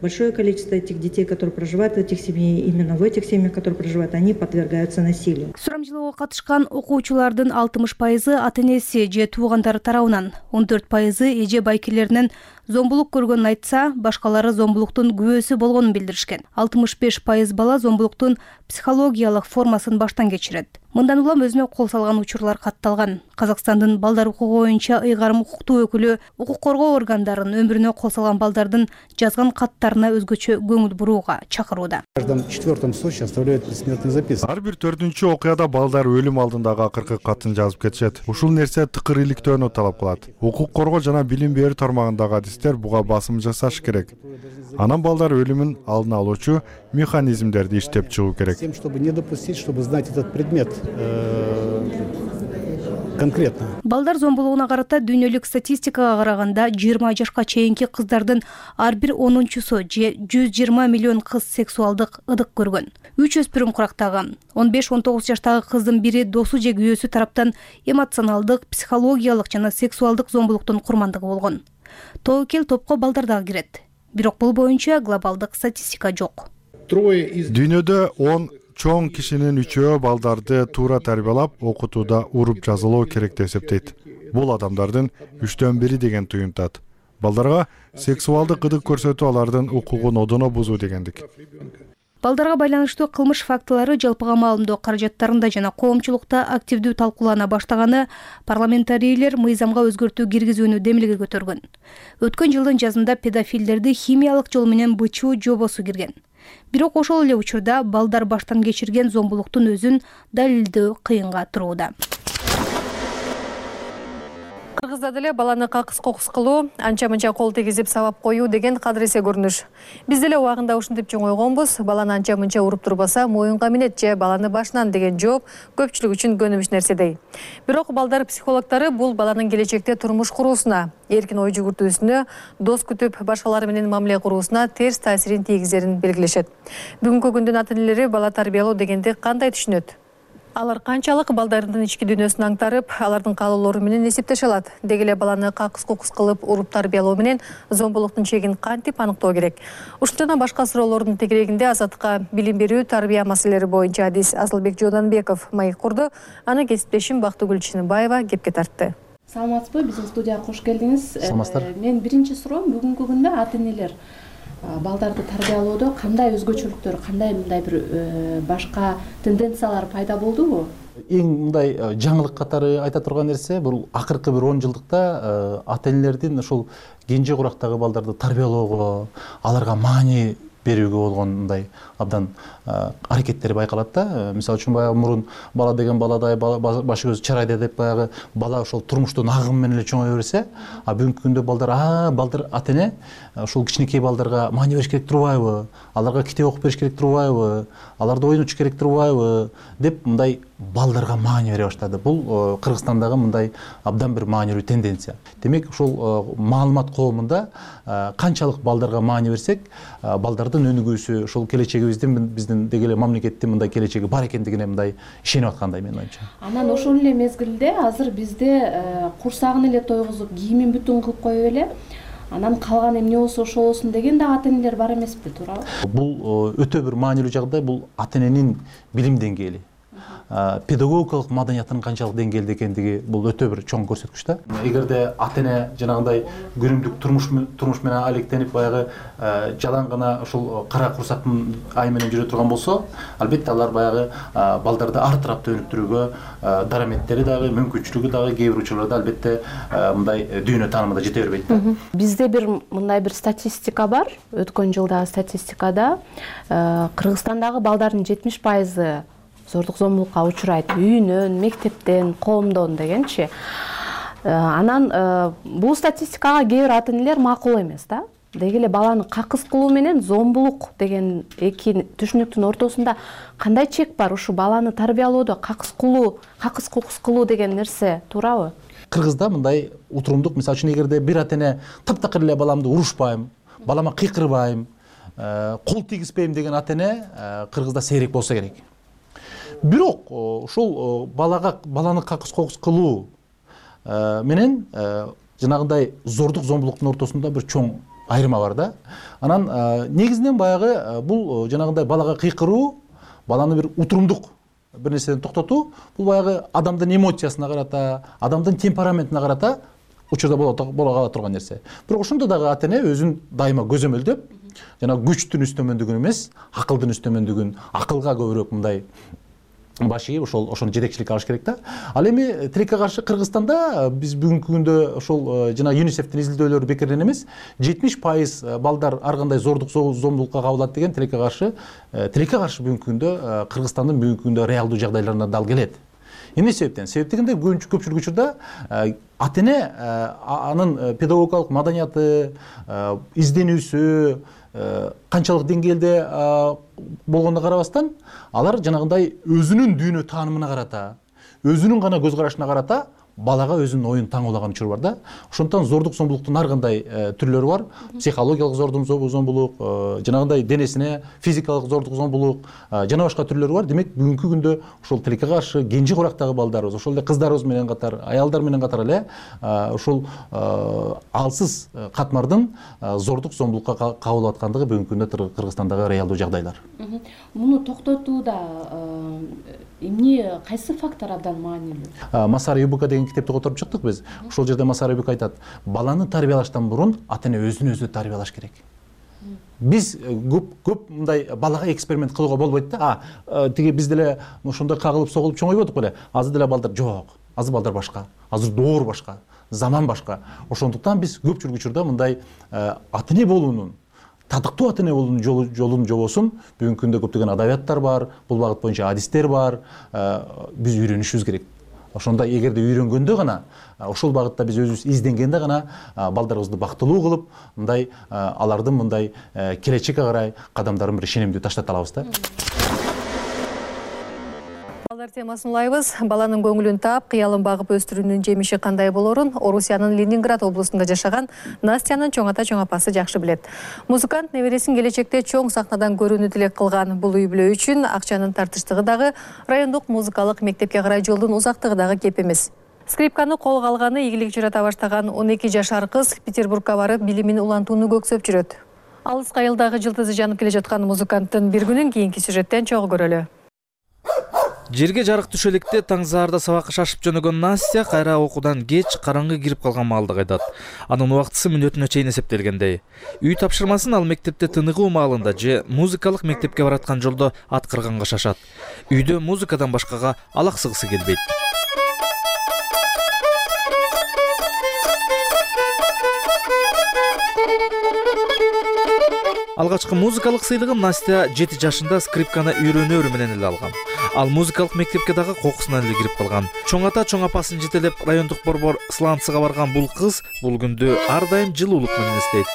Большое количество этих детей, которые проживают в этих семьях, именно в этих семьях, которые проживают, они подвергаются насилию. Сурамжылоого катышкан окуучулардын алтымыш пайызы ата-энеси же туугандары тарабынан, он төрт пайызы эже байкелеринен зомбулук көргөнүн айтса, башкалары зомбулуктун күбөсү болгонун билдиришкен. алтымыш беш пайыз бала зомбулуктун психологиялык формасын баштан кечирет. Мындан улам өзүнө кол салган учурлар катталган. Казакстандын балдар укугу боюнча ыйгарым укуктуу өкүлү укук коргоо органдарынын өмүрүнө кол салган балдардын жазган каттарына өзгөчө көңүл бурууга чакырууда. В каждом четвертом случае оставляют предсмертный запис. Ар бир төртүнчү окуяда балдар өлүм алдындагы акыркы катын жазып кетишет. Ушул нерсе тыкыр иликтөөнү талап кылат. Укук коргоо жана билим берүү тармагындагы адистер буга басым жасаш керек. Анан балдар өлүмүн алдын алуучу механизмдерди иштеп чыгуу керек. Тем, чтобы не допустить, чтобы знать этот предмет конкретно. Балдар зомбулугуна карата дүйнөлүк статистикага караганда жыйырма жашка чейинки кыздардын ар бир онунчусу же жүз жыйырма миллион кыз сексуалдык ыдык көргөн. Үч өспүрүм курактаган. он беш он тогуз жаштагы кыздын бири досу же күйөөсү тараптан эмоционалдык, психологиялык жана сексуалдык зомбулуктун курмандыгы болгон. Тобокел топко балдар дагы кирет. Бирок бул боюнча глобалдык статистика жок. Дүйнөдө он чоң кишинин үчөө балдарды туура тарбиялап, окутууда уруп жазылоо керек деп эсептейт. Бул адамдардын үчтөн бири деген туюнтат. Балдарга сексуалдык ыдык көрсөтүү алардын укугун одоно бузуу дегендик. Балдарга байланыштуу кылмыш фактылары жалпыга маалымдоо каражаттарында жана коомчулукта активдүү талкуулана баштаганы парламентарийлер мыйзамга өзгөртүү киргизүүнү демилге көтөргөн. Өткөн жылдын жазында педофилдерди химиялык жол менен бычуу жобосу кирген. Бирок ошол эле учурда балдар баштан кечирген зомбулуктун өзүн далилдөө кыйынга турууда. Кыргызда деле баланы какыс кокус кылуу, анча-мынча кол тийгизип сабап коюу деген кадыресе көрүнүш. Биз деле убагында ушинтип чоңойгонбуз. Баланы анча-мынча уруп турбаса, моюнга минет же баланы башынан деген жооп көпчүлүк үчүн көнүмүш нерседей. Бирок балдар психологдору бул баланын келечекте турмуш куруусуна, эркин ой жүгүртүүсүнө, дос күтүп башкалар менен мамиле куруусуна терс таасирин тийгизерин белгилешет. Бүгүнкү күндүн ата-энелери бала тарбиялоо дегенди кандай түшүнөт? Алар канчалык балдарынын ички дүйнөсүн аңтарып, алардын каалоолору менен эсептеше алат? Деги эле баланы какыс-кукус кылып уруп тарбиялоо менен зомбулуктун чегин кантип аныктоо керек? Ушул жана башка суроолордун тегерегинде Азаттыкка билим берүү, тарбия маселелери боюнча адис Асылбек Жууданбеков маек курду. Аны кесиптешим Бактыгүл Чыныбаева кепке тартты. Саламатсызбы? Биздин студияга кош келдиңиз. Саламатсыздар. Мен биринчи суроом, бүгүнкү күндө ата-энелер балдарды тарбиялоодо кандай өзгөчөлүктөр, кандай мындай бир башка тенденциялар пайда болдубу? Эң мындай жаңылык катары айта турган нерсе, бул акыркы бир он жылдыкта ата-энелердин ошол кенже курактагы балдарды тарбиялоого, аларга маани берүүгө болгон мындай абдан аракеттери байкалат да. Мисалы үчүн баягы мурун бала деген баладай, башы көзү чарайда деп баягы бала ошол турмуштун агымы менен эле чоңое берсе, а бүгүнкү күндө балдар, а балдар ата-эне ошол кичинекей балдарга маани бериш керек турбайбы, аларга китеп окуп бериш керек турбайбы, аларды ойнотуш керек турбайбы деп мындай балдарга маани бере баштады. Бул Кыргызстандагы мындай абдан бир маанилүү тенденция. Демек ушул маалымат коомунда канчалык балдарга маани берсек, балдардын өнүгүүсү, ошол келечегибиздин биздин деги эле мамлекеттин мындай келечеги бар экендигине мындай ишенип аткандай менин оюмча. Анан ошол эле мезгилде азыр бизде курсагын эле тойгузуп, кийимин бүтүн кылып коюп эле, анан калган эмне болсо ошо болсун деген да ата-энелер бар эмеспи, туурабы? Бул өтө бир маанилүү жагдай, бул ата-эненин билим деңгээли, педагогикалык маданиятынын канчалык деңгээлде экендиги бул өтө бир чоң көрсөткүч да. Эгерде ата-эне жанагындай күнүмдүк турмуш турмуш менен алектенип баягы жалаң гана ошол кара курсактын ай менен жүрө турган болсо, албетте алар баягы балдарды ар тарапта өнүктүрүүгө дараметтери дагы, мүмкүнчүлүгү дагы кээ бир учурларда албетте мындай дүйнө таанымында жете бербейт да. Бизде бир мындай бир статистика бар. Өткөн жылдагы статистикада Кыргызстандагы балдардын жетимиш пайызы зордук зомбулукка учурайт, үйүнөн, мектептен, коомдон дегенчи. Анан бул статистикага кээ бир ата-энелер макул эмес да. Деги эле баланы какыс кылуу менен зомбулук деген эки түшүнүктүн ортосунда кандай чек бар? Ушу баланы тарбиялоодо какыс кылуу, какыс кукус кылуу деген нерсе туурабы? Кыргызда мындай утурумдук, мисалы үчүн эгерде бир ата-эне таптакыр эле баламды урушпайм, балама кыйкырбайм, кол тийгизбейм деген ата-эне Кыргызда сейрек болсо керек. Бирок ошол балага баланы какыс кокус кылуу менен жанагындай зордук зомбулуктун ортосунда бир чоң айырма бар да. Анан негизинен баягы бул жанагындай балага кыйкыруу, баланы бир утурумдук бир нерседен токтотуу, бул баягы адамдын эмоциясына карата, адамдын темпераментине карата учурда боло кала турган нерсе. Бирок ошондо дагы ата-эне өзүн дайыма көзөмөлдөп, жана күчтүн үстөмөндүгүн эмес, акылдын үстөмөндүгүн, акылга көбүрөөк мындай баш ийип ошол ошону жетекчилик алыш керек да. Ал эми тилекке каршы Кыргызстанда биз бүгүнкү күндө ошол жана ЮНИСЕФтин изилдөөлөрү бекерден эмес, жетимиш пайыз балдар ар кандай зордук зомбулукка кабылат деген тилекке каршы тилекке каршы бүгүнкү күндө Кыргызстандын бүгүнкү күндө реалдуу жагдайларына дал келет. Эмне себептен? Себеп дегенде көпчүлүк учурда ата-эне анын педагогикалык маданияты, изденүүсү канчалык деңгээлде болгонуна карабастан, алар жанагындай өзүнүн дүйнө таанымына карата, өзүнүн гана көз карашына карата балага өзүнүн оюн таңуулаган учур бар да. Ошондуктан зордук зомбулуктун ар кандай түрлөрү бар. Психологиялык зордук зомбулук, жанагындай денесине физикалык зордук зомбулук, жана башка түрлөрү бар. Демек, бүгүнкү күндө ошол тилекке каршы кенже курактагы балдарыбыз, ошол эле кыздарыбыз менен катар, аялдар менен катар эле ошол алсыз катмардын зордук зомбулукка кабылып аткандыгы бүгүнкү күндө Кыргызстандагы реалдуу жагдайлар. Муну токтотууда эмне, кайсы фактор абдан маанилүү? Масар ЮБК деген китепти которуп чыктык биз. Ошол жерде Масар ЮБК айтат, баланы тарбиялаштан мурун ата-эне өзүн өзү тарбиялаш керек. биз көп көп мындай балага эксперимент кылууга болбойт да. А тиги биз деле ошондой кагылып согулуп чоңойбодук беле. Азыр деле балдар жок. Азыр балдар башка. Азыр доор башка. Заман башка. Ошондуктан биз көпчүлүк учурда мындай ата эне болуунун, татыктуу ата эне болуунун жолун жобосун бүгүнкү күндө көптөгөн адабияттар бар, бул багыт боюнча адистер бар. Биз үйрөнүшүбүз керек. Ошондо эгерде үйрөнгөндө гана, ошол багытта биз өзүбүз изденгенде гана балдарыбызды бактылуу кылып, мындай алардын мындай келечекке карай кадамдарын бир ишенимдүү таштата алабыз да. Балдар темасын улайбыз. Баланын көңүлүн таап, кыялын багып өстүрүүнүн жемиши кандай болорун Орусиянын Ленинград облусунда жашаган Настянын чоң ата чоң апасы жакшы билет. Музыкант небересин келечекте чоң сахнадан көрүүнү тилек кылган. Бул үй бүлө үчүн акчанын тартыштыгы дагы, райондук музыкалык мектепке карай жолдун узактыгы дагы кеп эмес. Скрипканы колго алганы ийгилик жарата баштаган он эки жашар кыз Петербургка барып билимин улантууну көксөп жүрөт. Алыс кайылдагы жылдызы жанып келе жаткан музыканттын бир күнүн кийинки сюжеттен чогуу көрөлү. Жерге жарык түшө электе таң заарда сабакка шашып жөнөгөн Настя кайра окуудан кеч караңгы кирип калган маалда кайтат. Анын убактысы мүнөтүнө чейин эсептелгендей. Үй тапшырмасын ал мектепте тыныгуу маалында же музыкалык мектепке бараткан жолдо аткарганга шашат. Үйдө музыкадан башкага алаксыгысы келбейт. Алгачкы музыкалык сыйлыгын Настя жети жашында скрипканы үйрөнөөрү менен эле алган. Ал музыкалык мектепке дагы кокусунан эле кирип калган. Чоң ата чоң апасын жетелеп райондук борбор Сланцыга барган бул кыз бул күндү ар дайым жылуулук менен эстейт.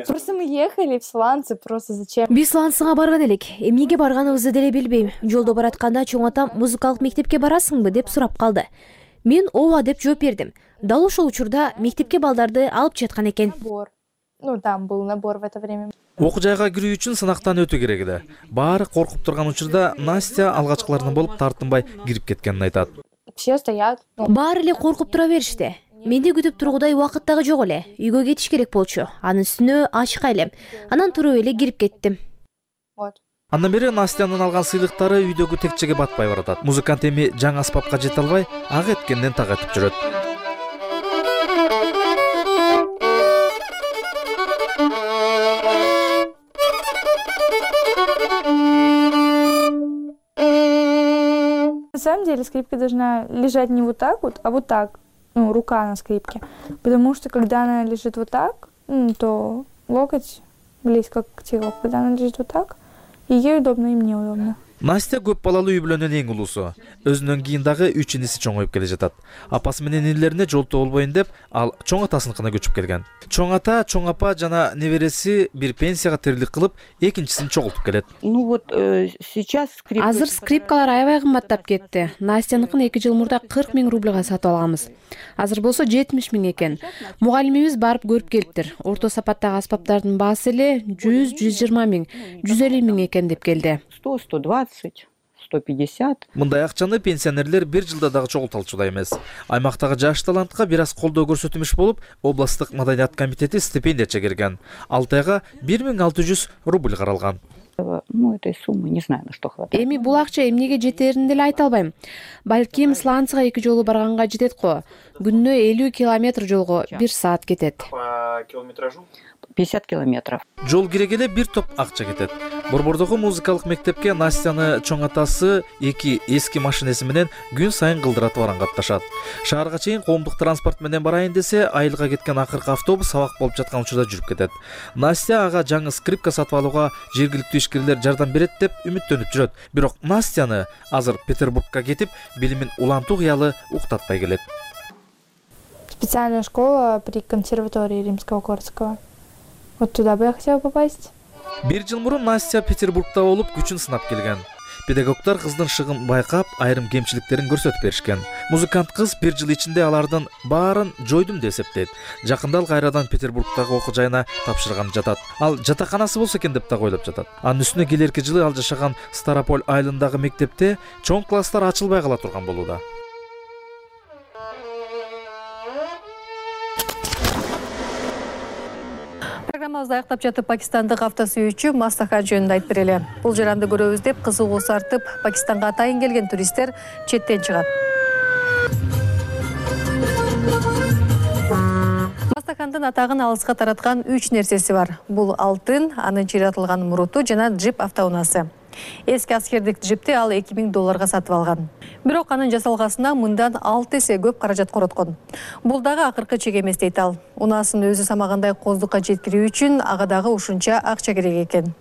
Просто мы ехали в Сланцы, просто зачем? Биз Сланцыга барган элек. Эмнеге барганыбызды деле билбейм. Жолдо баратканда чоң атам музыкалык мектепке барасыңбы деп сурап калды. Мен ооба деп жооп бердим. Дал ошол учурда мектепке балдарды алып жаткан экен. Ну, там был набор в это время. Окуу жайга кирүү үчүн сынактан өтүү керек эле. Баары коркуп турган учурда Настя алгачкылардан болуп тартынбай кирип кеткенин айтат. Все стоят. Баары эле коркуп тура беришти. Менде күтүп тургудай убакыт дагы жок эле. Үйгө кетиш керек болчу. Анын үстүнө ачык элем. Анан туруп эле кирип кеттим. Вот. Андан бери Настянын алган сыйлыктары үйдөгү текчеге батпай баратат. Музыкант эми жаңы аспапка жете албай, ак эткенден так этип жүрөт. На самом деле скрипка должна лежать не вот так вот, а вот так, ну, рука на скрипке. Потому что когда она лежит вот так, ну, то локоть близко к телу. Когда она лежит вот так, и ей удобно, и мне удобно. Настя көп балалуу үй бүлөнүн эң улуусу. Өзүнөн кийин дагы үч иниси чоңоюп келе жатат. Апасы менен инилерине жолтоо болбойн деп, ал чоң атасыныкына көчүп келген. Чоң ата, чоң апа жана небереси бир пенсияга тирилик кылып, экинчисин чогултуп келет. Ну вот сейчас скрипка. Азыр скрипкалар аябай кымбаттап кетти. Настяныкын эки жыл мурда кырк миң рубльга сатып алганбыз. Азыр болсо жетимиш миң экен. Мугалимибиз барып көрүп келиптир. Орто сапаттагы аспаптардын баасы эле жүз жүз жыйырма миң, жүз элүү миң экен деп келди. сто сто двадцать сто пятьдесят. Мындай акчаны пенсионерлер бир жылда дагы чогулта алчудай эмес. Аймактагы жаш талантка бир аз колдоо көрсөтүмүш болуп, областтык маданият комитети стипендия чегерген. алты айга бир миң алты жүз рубль каралган. Ну, этой суммы не знаю, на что хватает. Эми бул акча эмнеге жетерин деле айта албайм. Балким Сланцыга эки жолу барганга жетет го. Күнүнө элүү километр жолго бир саат кетет. По километражу пятьдесят километров. Жол кирегеле бир топ акча кетет. Борбордогу музыкалык мектепке Настяны чоң атасы эки эски машинеси менен күн сайын кылдыратып баран катташат. Шаарга чейин коомдук транспорт менен барайын десе, айылга кеткен акыркы автобус сабак болуп жаткан учурда жүрүп кетет. Настя ага жаңы скрипка сатып алууга жергиликтүү ишкерлер жардам берет деп үмүттөнүп жүрөт. Бирок Настяны азыр Петербургка кетип, билимин улантуу кыялы уктатпай келет. Специальная школа при консерватории Римского-Корского. Вот туда бы я хотела попасть. Бир жыл мурун Настя Петербургда болуп күчүн сынап келген. Педагогдор кыздын шыгын байкап, айрым кемчиликтерин көрсөтүп беришкен. Музыкант кыз бир жыл ичинде алардын баарын жойдум деп эсептейт. Жакында ал кайрадан Петербургдагы окуу жайына тапшырган жатат. Ал жатаканасы болсо экен деп так ойлоп жатат. Анын үстүнө келерки жылы ал жашаган Старополь айылындагы мектепте чоң класстар ачылбай кала турган болууда. Программабызды аяктап жатып Пакистандык автосүйүүчү Мастахан жөнүндө айтып берели. Бул жаранды көрөбүз деп кызыгуусу артып, Пакистанга атайын келген туристтер четтен чыгат. Мастахан Жапондун атагын алыска тараткан үч нерсеси бар. Бул алтын, анын чыйратылган муруту жана джип автоунаасы. Эски аскердик джипти ал эки миң долларга сатып алган. Бирок анын жасалгасына мындан алты эсе көп каражат короткон. Бул дагы акыркы чек эмес дейт ал. Унаасын өзү самагандай коздукка жеткирүү үчүн ага дагы ушунча акча керек экен.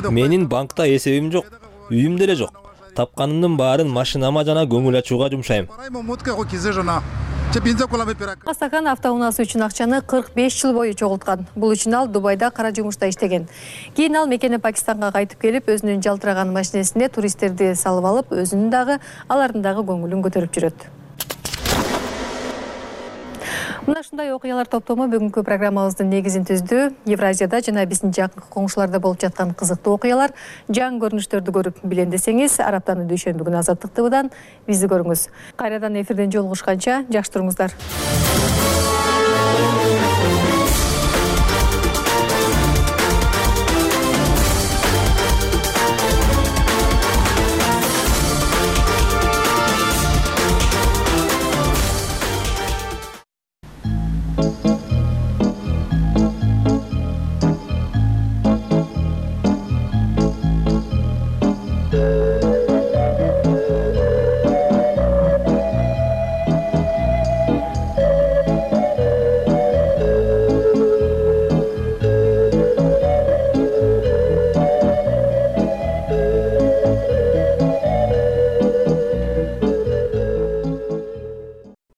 Менин банкта эсебим жок, үйүм деле жок. Тапканымдын баарын машинама жана көңүл ачууга жумшайм. Асакан автоунаасы үчүн акчаны кырк беш жыл бою чогулткан. Бул үчүн ал Дубайда кара жумушта иштеген. Кийин ал мекени Пакистанга кайтып келип, өзүнүн жалтыраган машинесине туристтерди салып алып, өзүнүн дагы, алардын дагы көңүлүн көтөрүп жүрөт. Мына ушундай окуялар топтому бүгүнкү программабыздын негизин түздү. Евразияда жана биздин жакын коңшуларда болуп жаткан кызыктуу окуялар, жаңы көрүнүштөрдү көрүп билем десеңиз, араптанын дүйшөмбү күнү Азаттык ТVдан бизди көрүңүз. Кайрадан эфирден жолугушканча жакшы туруңуздар.